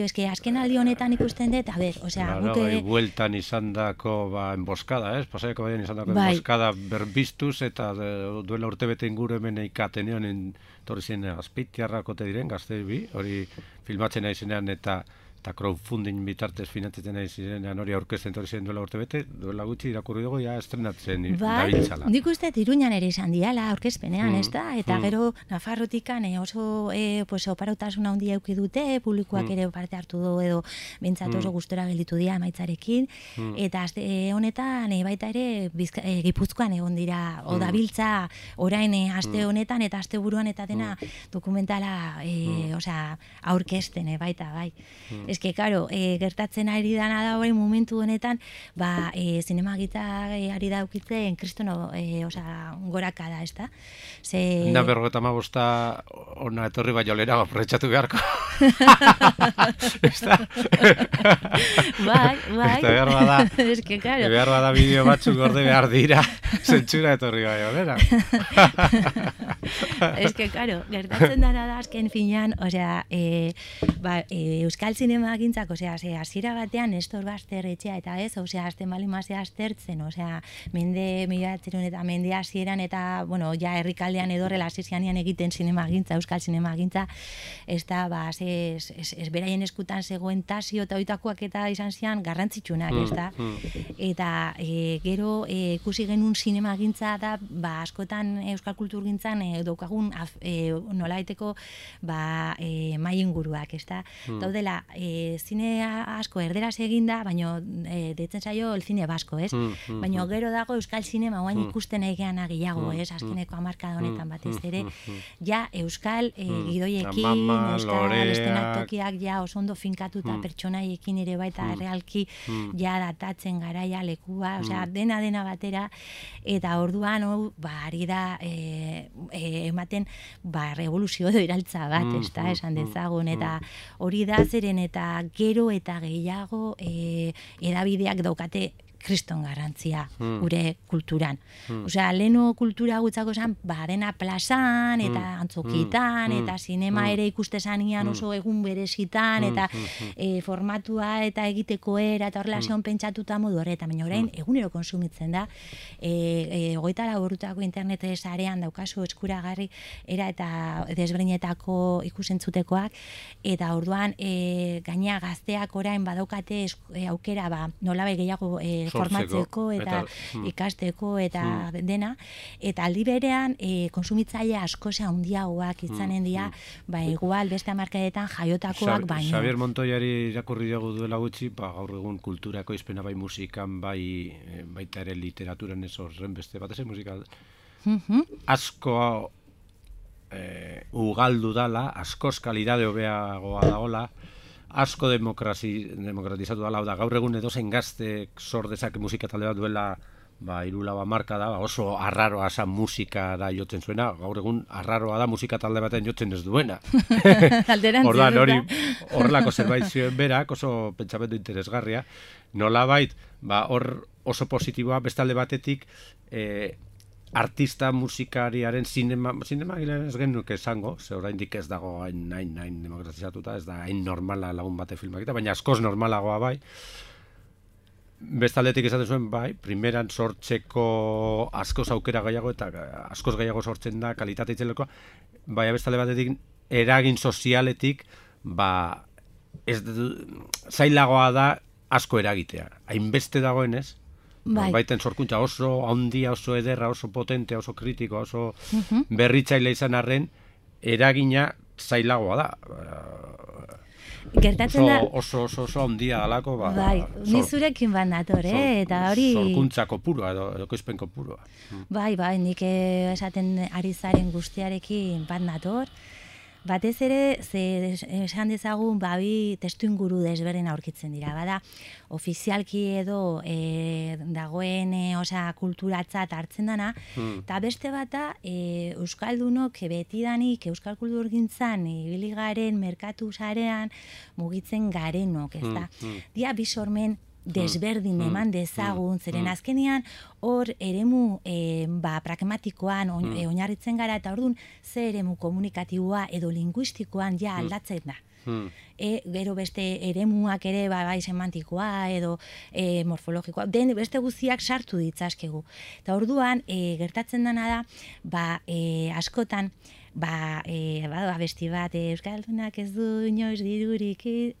Eske azken aldi honetan ikusten dut, bueltan izandako enboskada, ez? Pasaiako badian izandako enboskada berbiztuz eta duela urtebete inguru hemen eikatenean torri zen azpeitiarrako te diren, gazte bi, hori filmatzen nahi zenean eta crowdfunding bitartez finantzatzen nahi zirenean hori aurkezten torri zen duela urtebete, duela gutxi irakurri dugu ja estrenatzen dabiltzala. Nik uste Iruñan ere izan diala aurkezpenean, ez da? Eta gero Nafarrotikan oso oparautasun handia eduki dute, publikoak ere parte hartu du edo bintzat oso gustora gelditu dira emaitzarekin, eta honetan baita ere Gipuzkoan egon dira, odabiltza orain aste honetan eta aste buruan eta dena dokumentala aurkezten baita, bai. Eske, karo, gertatzen ari dana da orain momentu honetan, zinemagita ari daukitzen kristono goraka da, ez da? Na 55 ona etorri baiolera aprobetxatu beharko. Ez da? Bai. Eske, karo. Behar bada bideo batzuk gorde behar dira, zentsura etorri baiolera. Eske, karo, gertatzen dana da azken finean, Euskal Zinema zinema gintzak, hasiera batean Nestor Baster etxea eta ez, azten balimazea aztertzen, mende 1900 eta mende hasieran eta, ja herrikaldean edorrela hasizianean egiten zinema gintza, euskal zinema gintza, ez da, ez beraien eskutan zegoen Tasio eta oitakoak eta izan zian garrantzitsunak, ez da? Eta gero ikusi genuen zinema gintza da, askotan euskal kultur gintzan daukagun nolaiteko mai inguruak, ez da? Daudela, zine asko erderaz eginda, baina deitzen zaio el cine basko, ez? Baina gero dago euskal zinema oain ikusten egean gehiago, ez? Azkeneko hamarkada honetan batez ere, ja euskal gidoiekin, euskal estenatokiak ja oso ondo finkatuta pertsonaiekin ere baita realki ja datatzen garaia lekua, dena batera, eta orduan ari da ematen revoluzio edo iraltza bat, ez da, esan dezagun, eta hori da zeren eta gero eta gehiago edabideak daukate kriston garrantzia gure kulturan. Leno kultura gutzako zen, dena plazan, eta antzokitan, eta sinema ere ikustezanean oso egun berezitan, eta formatua eta egiteko era, eta horrela zeon pentsatuta modu horretan, baina orain egunero konsumitzen da, 24 orrutako internet sarean daukazu eskuragarri era eta desberdinetako ikusentzutekoak, eta orduan gaina gazteak orain badaukate aukera nolabai gehiago formatzeko eta ikasteko eta dena, eta aldi berean konsumitzaile asko handiagoak izanen dira, igual beste hamarkadetan jaiotakoak baino. Xabier Montoiari irakurri dugu duela gutxi, gaur egun kulturako izpena bai musikan, baita ere literaturan ez horren beste bat ezen musika asko ugaldu dala, askoz kalidade hobeagoa dagoela, asko demokratizatu dala, gaur egun edozein gaztek sor dezake musika talde bat duela 3-4 hamarkada, oso arraroa zen musika da jotzen zuena, gaur egun arraroa da musika talde baten jotzen ez duena. Ordan hori horrelako zerbait zioen berak, oso pentsamendu interesgarria, nolabait, hor oso positiboa, bestalde batetik, artista musikariaren sinema gilean ez genuke esango, ze oraindik ez dago hain demokratizatuta, ez da hain normala lagun bate filmakita, baina askoz normalagoa bai. Bestaldetik esaten zuen bai, primeran sortzeko askoz aukera gehiago eta askoz gehiago sortzen da kalitate itzeleko, baina bestalde batetik eragin sozialetik zailagoa da asko eragitea. Hainbeste dagoenez, baiten sorkuntza oso handia, oso ederra, oso potentea, oso kritikoa, oso berritzaile izan arren, eragina zailagoa da. Gertatzen da... Oso handia dalako, ni zurekin bat nator, eta hori... Sorkuntza kopurua, edo koizpen kopurua. Nik esaten ari zaren guztiarekin bat nator, batez ere, esan dezagun, bi testu inguru desberdin aurkitzen dira. Bada, ofizialki edo dagoen kulturatzat hartzen dana, eta beste bata, euskaldunok betidanik euskal kulturgintzan ibili garen merkatu sarean mugitzen garenok, ez da. Dia bi sormen desberdin eman dezagun, zeren azkenean hor eremu pragmatikoan oinarritzen gara, eta orduan ze eremu komunikatiboa edo linguistikoan ja aldatzen da. Gero beste eremuak ere bai semantikoa edo morfologikoa, beste guztiak sartu ditzazkegu. Eta orduan gertatzen dena da, askotan, besti bat, Euskaldunak ez du inoiz dirurik, ez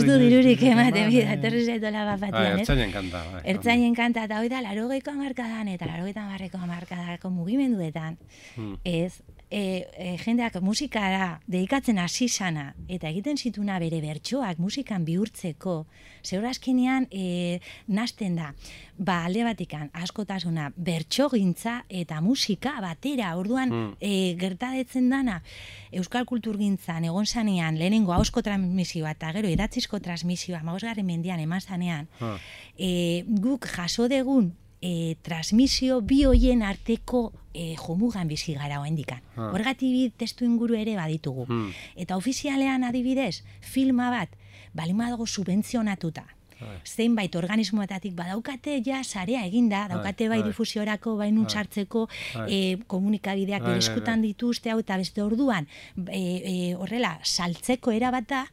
du dirurik ematen bida, etorri zaitola bat batian, ez? Ertzainen kanta, eta hori da, 80ko hamarkadan eta 80ko hamarkadako mugimenduetan, ez? Jendeak musikara dedikatzen hasi sana eta egiten zituna bere bertsoak musikan bihurtzeko, zeur azkenean nasten da, alde batikan askotasuna bertsogintza eta musika batera, orduan gertadetzen dana euskal kulturgintzan egon zanean lehenengo ahozko transmisioa eta gero idatzizko transmisioa 15. mendean eman zanean, guk jaso degun transmisio bi hoien arteko jomugan bizi gara oendikan. Horregatik testu inguru ere baditugu. Eta ofizialean adibidez, filma bat, balima dago subentzionatuta. zeinbait organismoetatik badaukate ja sarea eginda, daukate bai difusiorako, bai nuntzartzeko komunikabideak bere eskutan dituzte hau eta beste orduan horrela saltzeko erabat da,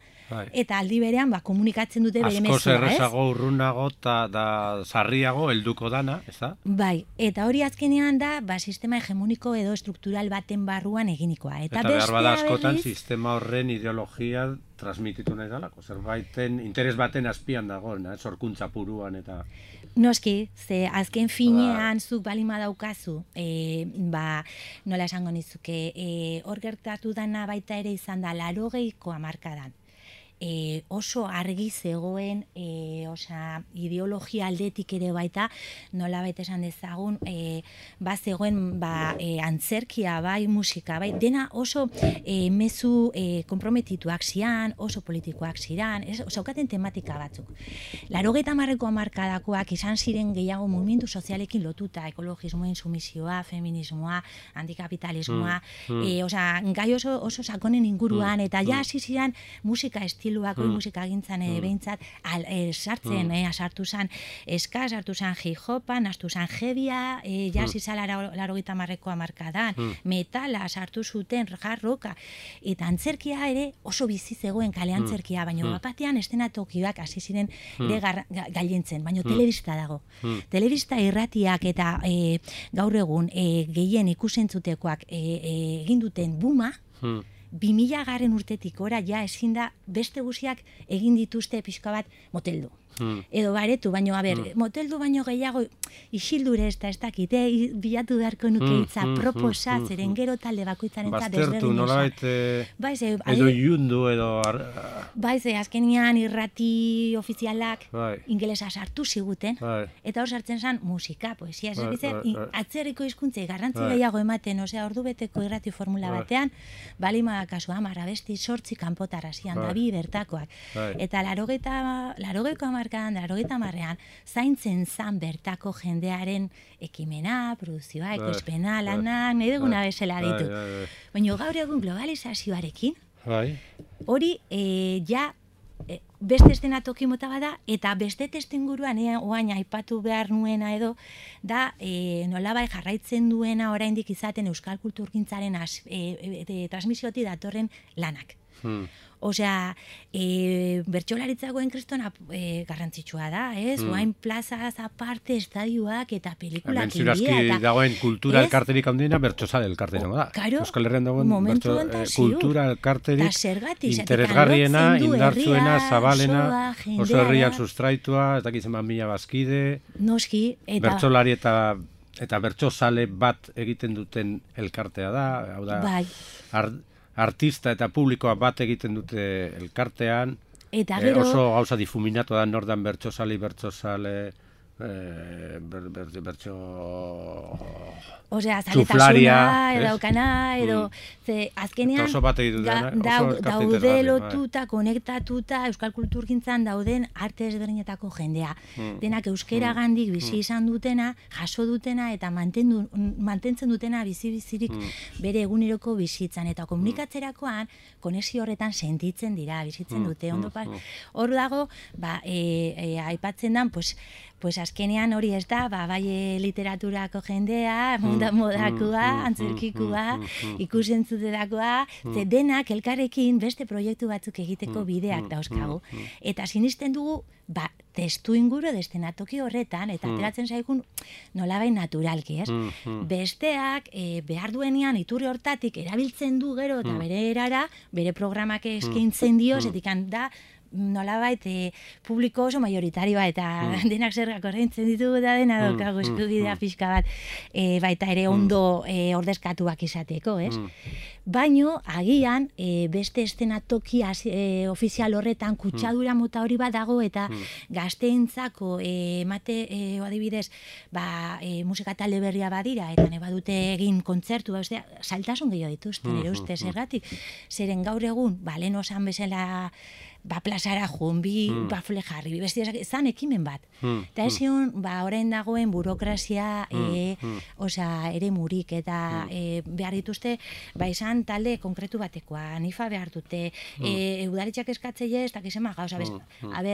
eta aldi berean komunikatzen dute bere mezua, askoz errezago urrunago eta sarriago helduko dana, ez da? Bai, eta hori azkenean da sistema hegemoniko edo estruktural baten barruan eginikoa. Eta behar bada askotan sistema horren ideologia transmititu nahi dalako, zerbaiten interes baten azpian dagoen, sorkuntza puruan eta... Noski, ze azken finean zuk balima daukazu, nola esango nizuke, hor gertatu dana baita ere izan da 80ko hamarkadan. Oso argi zegoen, ideologia aldetik ere baita, nola baita esan dezagun, zegoen antzerkia bai, musika bai, dena oso mezu komprometituak zian, oso politikoak ziran, zaukaten tematika batzuk. 80ko hamarkadakoak izan ziren gehiago mugimendu sozialekin lotuta, ekologismoen sumisioa, feminismoa, antikapitalismoa, gai oso sakonen inguruan, eta ja hasi ziren musika estiluak, musika gintzan behintzat, sartu zan eska, sartu zan hip-hopan, sartu zan heavia, jazz izala 80ko hamarkadan, metala sartu zuten, hard rocka, eta antzerkia ere oso bizi zegoen kale antzerkia, baina bapatean estenatokiak hasi ziren gailentzen, baina telebista dago. Telebista irratiak eta gaur egun gehien ikusentzutekoak egin duten buma, 2000 urtetik ora ja ezin da beste guziak egin dituzte pixka bat moteldu. Edo baretu, baino, moteldu baino gehiago isildure ez dakite, bilatu beharko nuke itza, proposa, zeren gero talde bakoitzaren baztertu, nolabait, edo iundu, edo... Azkenian irrati ofizialak ingelesa sartu ziguten, eta hor sartzen zen musika, poesia, atzerriko hizkuntzei garrantzi gehiago ematen, ordu beteko irrati formula batean, balima kasu 10 abesti 8 kanpotarra zian, dabi bertakoak. Eta 80ko 80ean, zaintzen zan bertako jendearen ekimena, produzioa, ekoizpena, lanak, nahi duguna bezala ditu. Baina gaur egun globalizazioarekin, hori ja beste estenatoki mota bada, eta beste testuinguruan oain aipatu behar nuena edo, da nolabai jarraitzen duena oraindik izaten euskal kulturgintzaren transmisiotik datorren lanak. Osea, bertsolaritzako kristona garrantzitsua da, ez? Oain plazaz aparte, estadioak eta pelikulak india. Ziurazki dagoen kultura elkarterik handiena bertsozale elkarterik da. Euskal Herrian dagoen kultura elkarterik interesgarriena, indartzuena, zabalena, oso herriak sustraitua, ez dakitzen mila bazkide, bertsolari eta bertsozale bat egiten duten elkartea da, hau da, artista eta publikoa bat egiten dute elkartean, oso gauza difuminatu da nordan bertsozale, zaletasuna, edaukana, edo, azkenean, daude lotuta, konektatuta, euskal kulturgintzan dauden arte ezberdinetako jendea. Denak euskera gandik bizi izan dutena, jaso dutena, eta mantentzen dutena bizi-bizirik bere eguneroko bizitzan. Eta komunikatzerakoan, konexio horretan sentitzen dira, bizitzen dute. Hor dago, aipatzen dan, pues azkenean hori ez da, bai literaturako jendea, modakua, antzerkikua, ikusentzuterakoa, denak elkarrekin beste proiektu batzuk egiteko bideak dauzkagu. Eta sinisten dugu, testu inguru destenatoki horretan, eta ateratzen zaigun nolabain naturalki, ez? Besteak behar duenean iturri hortatik erabiltzen du gero eta bere erara, bere programak eskaintzen dio, zetikan da, nolabait publiko oso majoritarioa eta denak zergak ordaintzen ditugu da dena daukagu eskubidea pixka bat baita ere ondo ordezkatuak izateko, ez? Baino, agian, beste estenatoki ofizial horretan kutsadura mota hori bat dago eta gazteentzako adibidez, musika talde berria badira eta ne badute egin kontzertu, saltasun gehiago dituzten, ere uste zergatik, zeren gaur egun, lehen osan bezala plazara joan, bafle jarri, beste zan ekimen bat. Eta ez zion, orain dagoen burokrazia ere murik, eta behar dituzte, izan izan talde konkretu batekoa, nifa behar dute, udaletxak eskatzeie ez dakizema gauza,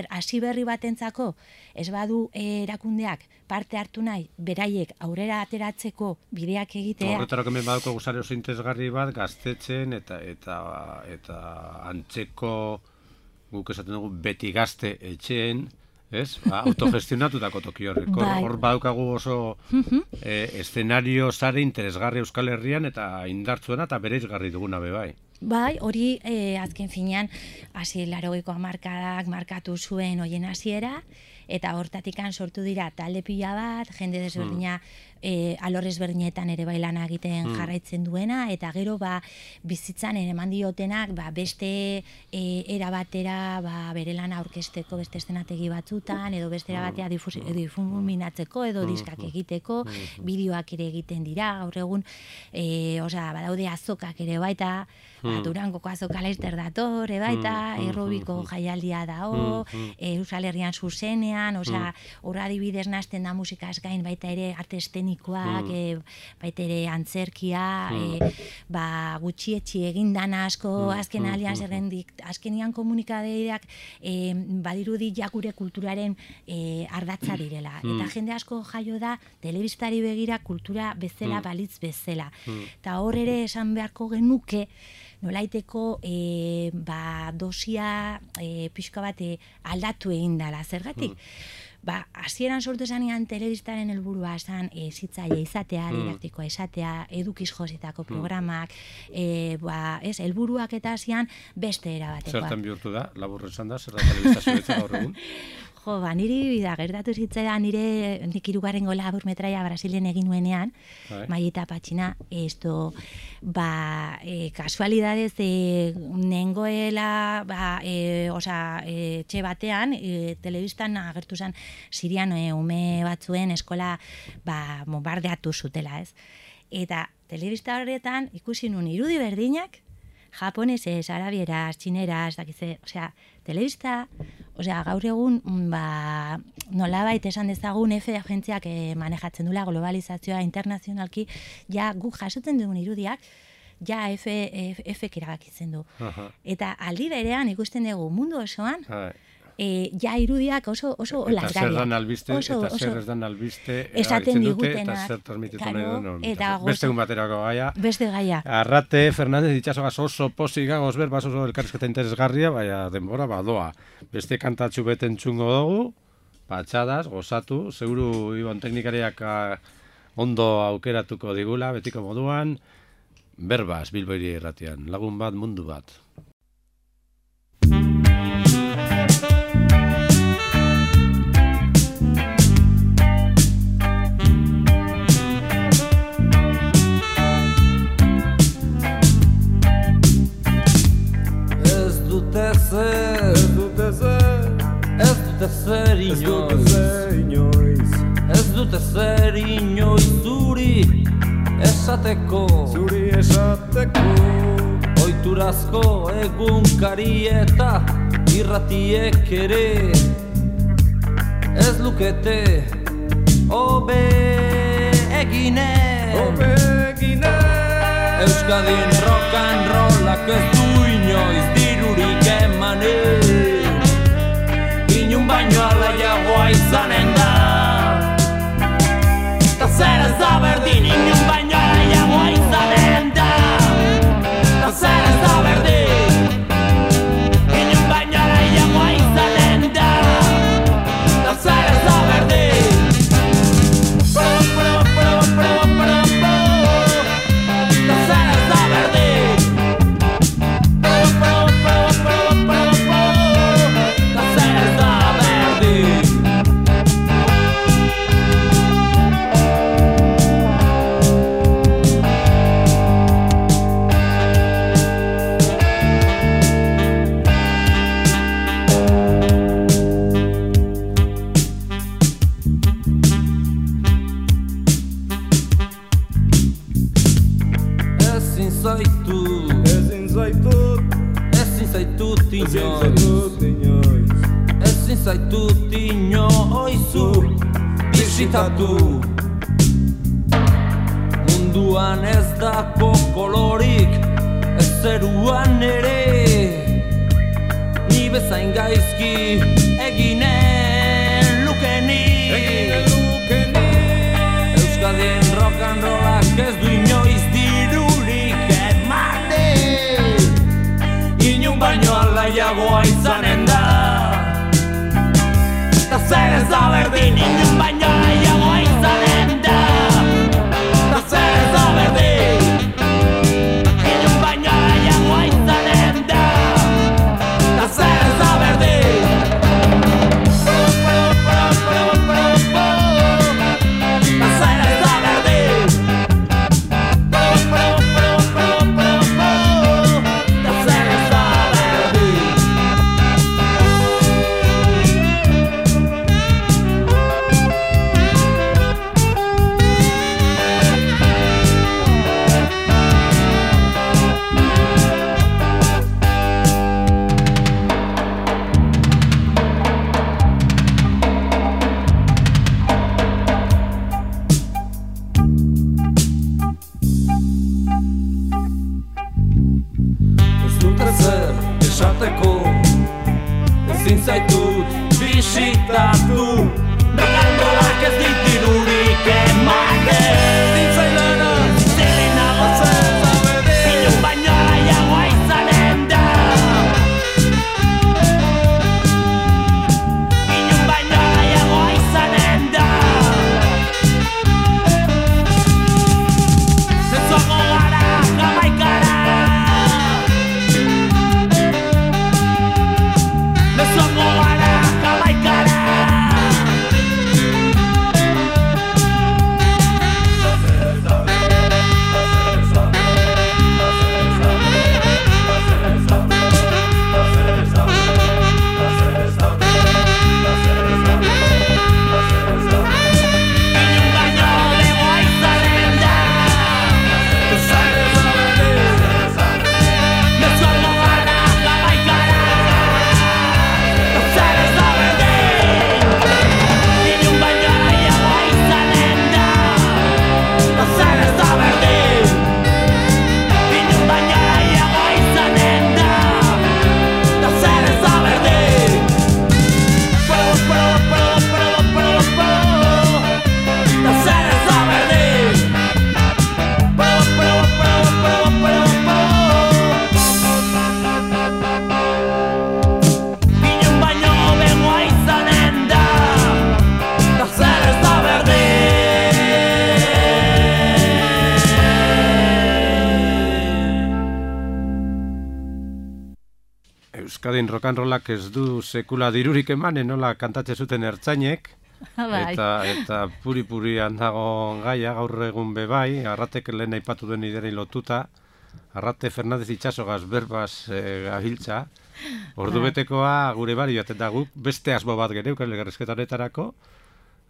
hasi berri batentzako, ez badu erakundeak parte hartu nahi, beraiek aurrera ateratzeko bideak egitea. Horretarako hemen baduko gusare oso interesgarri bat, gaztetzen eta antzeko, guk esaten dugu, beti gazte etxeen, ez? Autogestionatutako toki horreko. Hor badukagu oso eszenario sare interesgarri Euskal Herrian eta indartzuena eta bereizgarri duguna bai. Bai, hori azken finean, 80ko hamarkadak markatu zuen hoien hasiera, eta hortatikan sortu dira talde pila bat, jende desberdina alor ezberdinetan ere bai lana egiten jarraitzen duena, eta gero bizitzan eman diotenak beste era batera bere lana aurkezteko beste eszenategi batzutan, edo beste era batera difuminatzeko, edo diskak egiteko, bideoak ere egiten dira, gaur egun, badaude azokak ere baita, Durangoko azoka Laster dator, baita, Errobiko jaialdia dao, Euskal Herrian zuzenean, horra adibidez nazten da musikaz gain baita ere arte estenikoak, baita ere antzerkia, gutxietxi egindan asko, azken alian zerrendik, azkenian komunikadeak badirudi gure kulturaren ardatza direla. Eta jende asko jaio da, telebistari begira kultura bezala, balitz bezala. Eta hor ere esan beharko genuke, nolaiteko dosia pixka bat aldatu egin dela, zergatik? Hasieran sortu zanean telebistaren helburua esan zitzaile izatea, didaktikoa izatea, edukiz jositako programak, helburuak eta hasian beste era batekoa. Zertan bihurtu da, labur esan da, zer da telebistazioetza gaur egun? Niri gertatu zitzaidan nik 3. labur metraia Brasilen egin nuenean, Maieta Patxina, kasualidadez nengoela etxe batean, telebistan agertu zen Sirian ume batzuen eskola bombardeatu zutela, ez? Eta telebista horretan ikusi nun irudi berdinak, japonesez, arabieraz, txineraz, telebista, gaur egun, nolabait esan dezagun F agentziak manejatzen dula globalizazioa internazionalki, guk jasotzen dugun irudiak, F-ek erabakitzen du. Eta aldi berean ikusten dugu mundu osoan, irudiak oso olasgarriak. Eta zer dan albiste, eta zer ez dan albiste, esaten digutenak. Eta zer transmititu nahi duen. Beste egun baterako gaia. Beste gaia. Arrate, Fernández, ditxasogaz oso pozik gagoz ber, oso elkarrizketa interesgarria, baina denbora badoa. Beste kantatxu beten txungo dugu, patxadas, gozatu, seguru Ibon teknikariak ondo aukeratuko digula, betiko moduan, berbaz, Bilbo Hiria Irratian, lagun bat, mundu bat. Ez dute zer inoiz zuri esateko oiturazko egunkari eta irratiek ere ez lukete hobe egine Euskadin rock and rollak ez du inoiz dirurik emanen Inun baino alaiagoa izanen da Ta zer ez da berdin Inun baino alaiagoa izanen da Ta zer ez da berdin Inun baino alaiagoa izanen da Ta zer ez da berdin Ta zer ez da berdin Ezin zaitut inoizu bisitatu Munduan ez dako kolorik zeruan ere ni bezain gaizki eginen lukenik Euskadien rock and rollak ez du inoiz dirurik ematen Inun baino alaiagoa izanen da Ta zer ez da berdin inun baino alaiagoa izanen da Ta zer ez da berdin Inun baino alaiagoa izanen da Ta zer ez da berdin Ezin zaitut bisitatu Rock'n'rollak ez ditirurik ematen Zintzailena, zintzailena Inun baino alaiagoa izanen da Inun baino alaiagoa izanen da Mezuago gara Jamaikara Mezuago gara Jamaikara Inun baino legoa izanen da Mezuago gara Jamaikara Zer ez da berdin Inun baino alaiagoa izanen da Zer ez da berdin Inun baino alaiagoa izanen da Zer ez da berdin Zer ez da berdin Inun baino hobegoa izanen da Zer ez da Euskadin rock and rollak ez du sekula dirurik emanen nola kantatze zuten ertzainek Bai. eta puri-purian dago gaia gaur egun bebai, Arratek lehen aipatu duen ideri lotuta, Arrate Fernandez Itxasogaz berbaz gabiltza, ordubetekoa gure bari bat eta guk beste asmo bat gereuk elgarrizketa honetarako,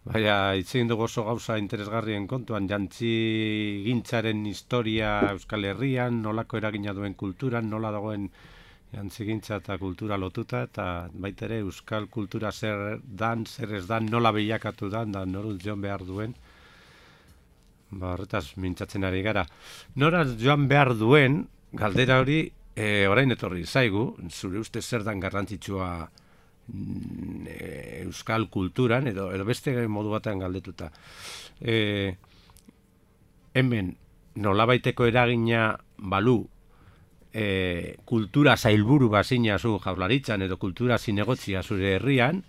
baina hitz egin dugu oso gauza interesgarrien kontuan, jantzi gintzaren historia Euskal Herrian, nolako eragina duen kulturan, nola dagoen jantzigintza eta kultura lotuta, eta baita ere euskal kultura zer dan, zer ez dan, nola bilakatu dan, da noruz joan behar duen. Ba, horretaz mintzatzen ari gara. Noraz joan behar duen, galdera hori, orain etorri zaigu, zure uste zer dan garrantzitsua euskal kulturan, edo beste modu batean galdetuta. Hemen, nolabaiteko eragina balu, kultura zailburu bazina zu Jaurlaritzan edo kultura zinegotzia zure herrian,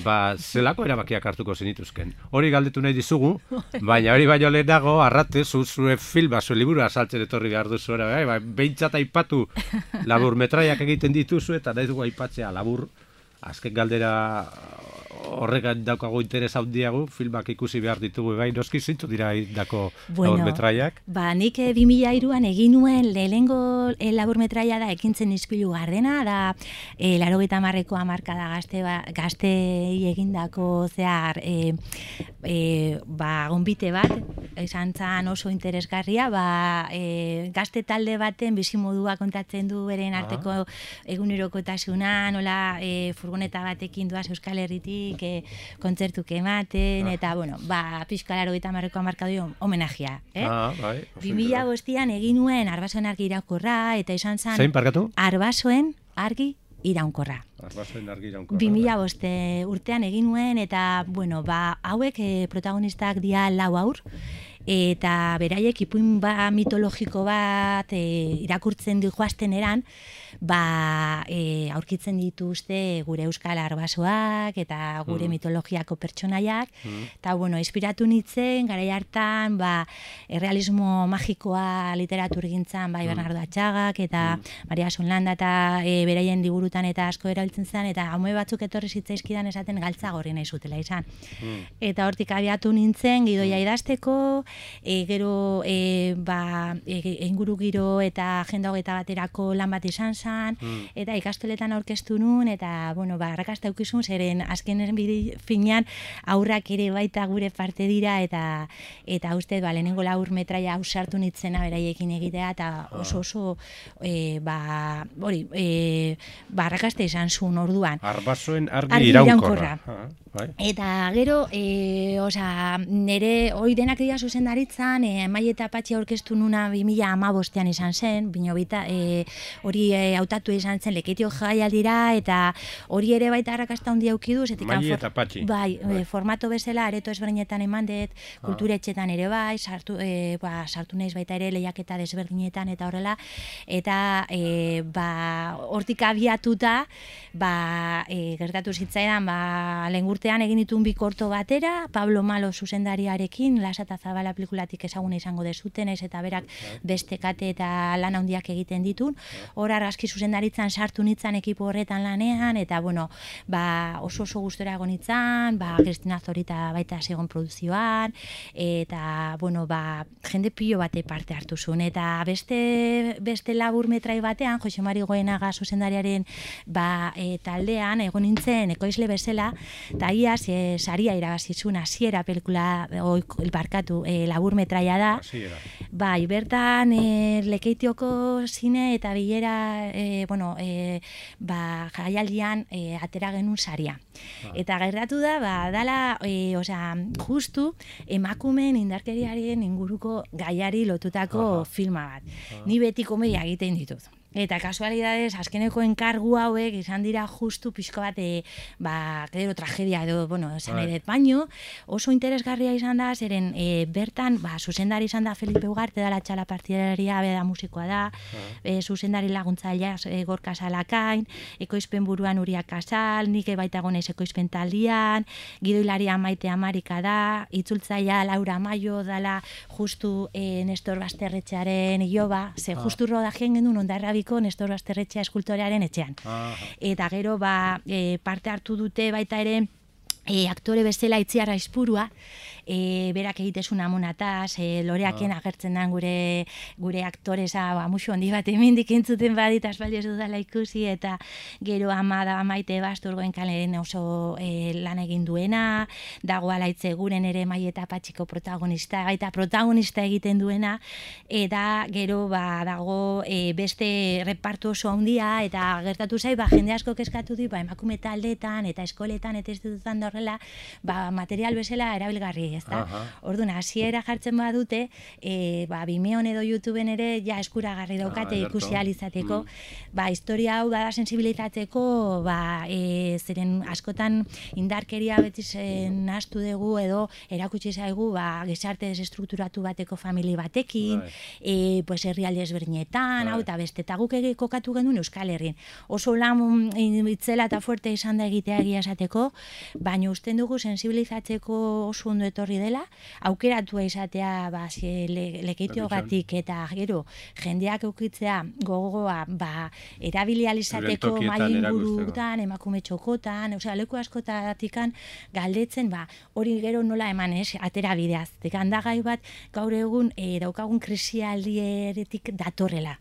ba zelako erabakiak hartuko zenituzken. Hori galdetu nahi dizugu, baina hori baino lehenago Arrate zure filma, zure liburua saltzen etorri behar duzu bai, behintzat aipatu laburmetraiak egiten dituzu eta nahi dugu aipatzea labur. Azken galdera horregan daukago interes handiago, filmak ikusi behar ditugu, bai, noski zintu dira dako laburmetraiak? Ba, nik 2003an egin nuen lehenengo laburmetraia da ekintzen ispilu gardena, da 80ko hamarkada gaztei egindako zehar gonbite bat, izan zan oso interesgarria, gazte talde baten bizimodua kontatzen du beren arteko egunerokotasuna, nola furgoneta batekin doaz Euskal Herritik nik kontzertuk ematen, eta, bueno, pixka 80ko hamarkadoi homenajea, Bai. 2005an egin nuen Arbasoen argi iraunkorra, eta izan zen... Zein, parkatu? Arbasoen argi iraunkorra. 2005 urtean egin nuen, eta, bueno, hauek protagonistak dira 4 haur, eta beraiek ipuin mitologiko bat irakurtzen joazten eran, aurkitzen dituzte gure euskal arbasoak eta gure mitologiako pertsonaiak, eta, bueno, inspiratu nintzen, garai hartan, errealismo magikoa literaturgintzan, Bernardo Atxagak, eta Maria Sonlanda, eta beraien liburutan eta asko erabiltzen zen, eta haume batzuk etorri zitzaizkidan esaten galtza gorri nahi zutela izan. Eta hortik abiatu nintzen, gidoia idazteko, gero inguru giro eta agenda 21erako lan bat izan zen, eta ikastoletan aurkeztu nun, eta, bueno, arrakasta eukizun, zeren azkenen finean aurrak ere baita gure parte dira, eta uste, lehenengo 4 metraia ausartu nitzena beraiekin egitea, eta oso, arrakasta izan zuen orduan. Arbasoen argi iraunkorra. Eta gero, nire hori denak dira zuzendaritzan, Mai eta Patxi aurkeztu nuna 2015an izan zen, hori hautatu izan zen Lekeitio jaialdira, eta hori ere baita arrakasta handia aukidu. Mai eta Patxi. Bai, formato bezala, areto ezberdinetan eman dut, kulturetxetan ere bai, sartu naiz baita ere lehiaketa desberdinetan eta horrela, eta hortik abiatuta, gertatu zitzaidan, lehengurtean egin ditun 2 korto batera, Pablo Malo zuzendariarekin, Lasa eta Zabala pelikulatik ezaguna izango dezuten, eta berak beste kate eta lan handiak egiten ditun. Hor argazki zuzendaritzan sartu nitzan ekipo horretan lanean, eta, bueno, oso gustora egon nitzan, Kristina Zorita baita segon produzioan, eta, bueno, jende pilo bate parte hartu zuen, eta beste labur metrai batean, Jose Mari Goenaga zuzendariaren taldean egon nintzen ekoizle bezala, eta iaz saria irabazizun hasiera pelikula labur metraia da. Bai, bertan Lekeitioko zine eta bilera jaialdian atera genuen saria. Eta gertatu da, dala, justu emakumeen indarkeriaren inguruko gaiari lotutako filma bat. Ni beti komedia egiten ditut. Eta kasualidades, azkeneko enkargu hauek izan dira justu pixko bat, gero tragedia edo, esan edet, baino, oso interesgarria izan da, zeren bertan, zuzendari izan da Felipe Ugarte, da la txala partidaria, beda musikoa da, zuzendari laguntzailea Gorka Salakain, ekoizpen buruan Uria Kasal, nik baita gonez ekoizpen taldian, gidoilaria Maite Amarika da, itzultzailea Laura Maio, dala justu Nestor Basterretxearen Ioba, ze justu rodajien gendun ondarra Nestor Basterretxea eskultorearen etxean. Eta gero parte hartu dute baita ere aktore bezala Itziar Aizpurua, berak egitezun amonataz, loreaken agertzen den gure aktoreza musu handi bat emendik entzuten badit aspaldi ez dudala ikusi, eta gero Maite Basturgoen kalen oso lan egin duena, dago alaitze guren ere Mai eta Patxiko protagonista, gaita protagonista egiten duena, eta gero dago beste repartu oso handia, eta gertatu zai, jende asko eskatu di, emakume taldetan eta eskoletan eta ez dututan da horrela, material bezala erabilgarri, ezta? Orduan, hasiera jartzen badute, Vimeon edo YouTubeen ere ja eskuragarri daukate ikusi ahal izateko, historia hau da sensibilizatzeko, zeren askotan indarkeria beti nahastu dugu edo erakutsi zaigu gizarte desestrukturatu bateko famili batekin, herrialde ezberdinetan, eta beste, eta guk kokatu genduen Euskal Herrin. Oso lan itzela eta fuerte izan da egitea egia esateko, baina usten dugu sensibilizatzeko oso ondo etorri dela, aukeratua izatea Lekeitiogatik eta gero jendeak eukitzea gogoa erabilializateko mai ingurutan, emakume txokotan, leku askotatikan galdetzen, hori gero nola eman atera bideaz. Handagai bat gaur egun daukagun krisialdieretik datorrela.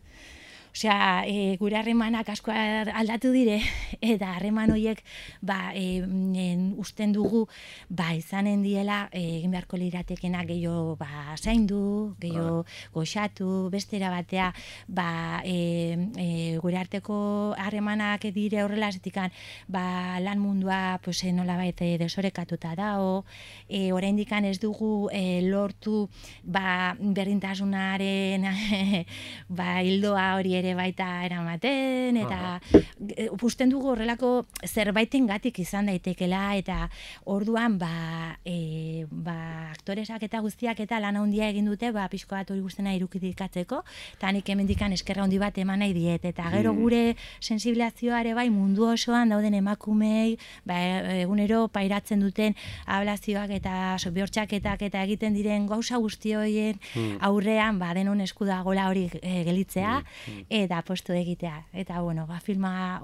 Osea, gure harremanak asko aldatu dire, eta harreman horiek usten dugu izanen diela egin beharko liratekenak gehiago zaindu, gehiago goxatu, bestera batea gure arteko harremanak dire horrela zetikan lan mundua nolabait desorekatuta dago, oraindik ez dugu lortu berdintasunaren hildoa hori ere baita eramaten, eta usten dugu horrelako zerbaitengatik izan daitekela, eta orduan aktoresak eta guztiak eta lan handia egin dute pixko bat hori guztena irukidikatzeko, eta nik hemendikan eskerra handi bat eman nahi diet, eta gero gure sensibilizazioare mundu osoan dauden emakumei egunero pairatzen duten ablazioak eta bihotzaketak eta egiten diren gauza guzti horien aurrean denon esku dagoela hori gelitzea eta postu egitea. Eta filma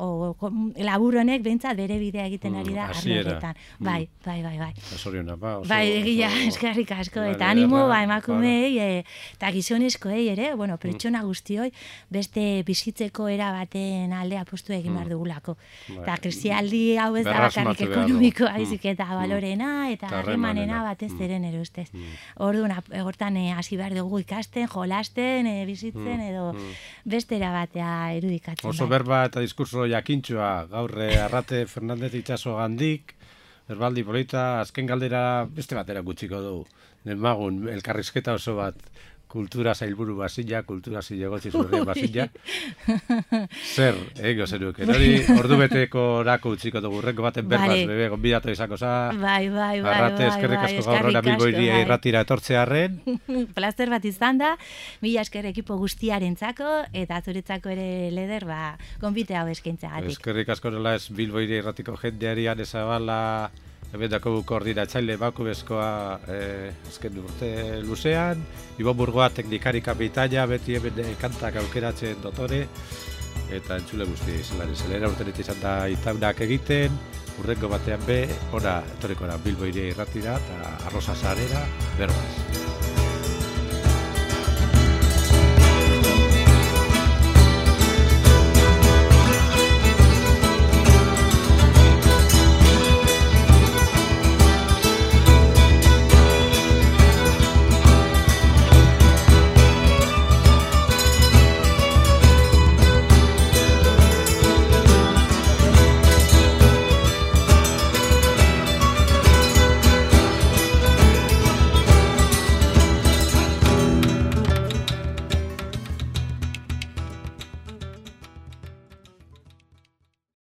labur honek behintzat bere bidea egiten ari da arlo horretan. Bai. Zoriona, egia, eskerrik asko, eta animo emakumei eta gizonezkoei ere, pertsona guztioi beste bizitzeko era baten alde apostu egin behar dugulako. Eta krisialdi hau ez da bakarrik ekonomikoa baizik eta balorena eta harremanena batez eren ere ustez. Orduan, hortan hasi behar dugu ikasten, jolasten, bizitzen edo bestera batea irudikatzen. Oso berba eta diskurso jakintxoa, gaur Arrate Fernandez Itxaso gandik, berbaldi polita, azken galdera beste batera gutxiko dugu. Demagun, elkarrizketa oso bat, kultura zailburu basila, kultura zilegotzi zurrien basila. Zer, ego zeruk, hori ordubeteko orako utziko dugu, renko baten berbaz, bebe, gonbidatu izango za. Bai. Arrate, eskerrik asko gaur hori Bilbo Hiria irratira etortzearren. Plazer bat izan da, mila esker ekipo guztiarentzako, eta zuretzako ere leder, gonbite hau eskaintzagatik. Eskerrik asko nola ez Bilbo Hiria irratiko jendeari Anezabala, ebendako koordinatzaile bakubezkoa azken urte luzean, Ibon Burgoa teknikari kapitaina, beti hemen kantak aukeratzen dotore, eta entzule guzti zelera urtenet izan da itaunak egiten, urrengo batean ona etorriko da Bilbo Hiria irratira, eta Arrosa Sarera, berbaz.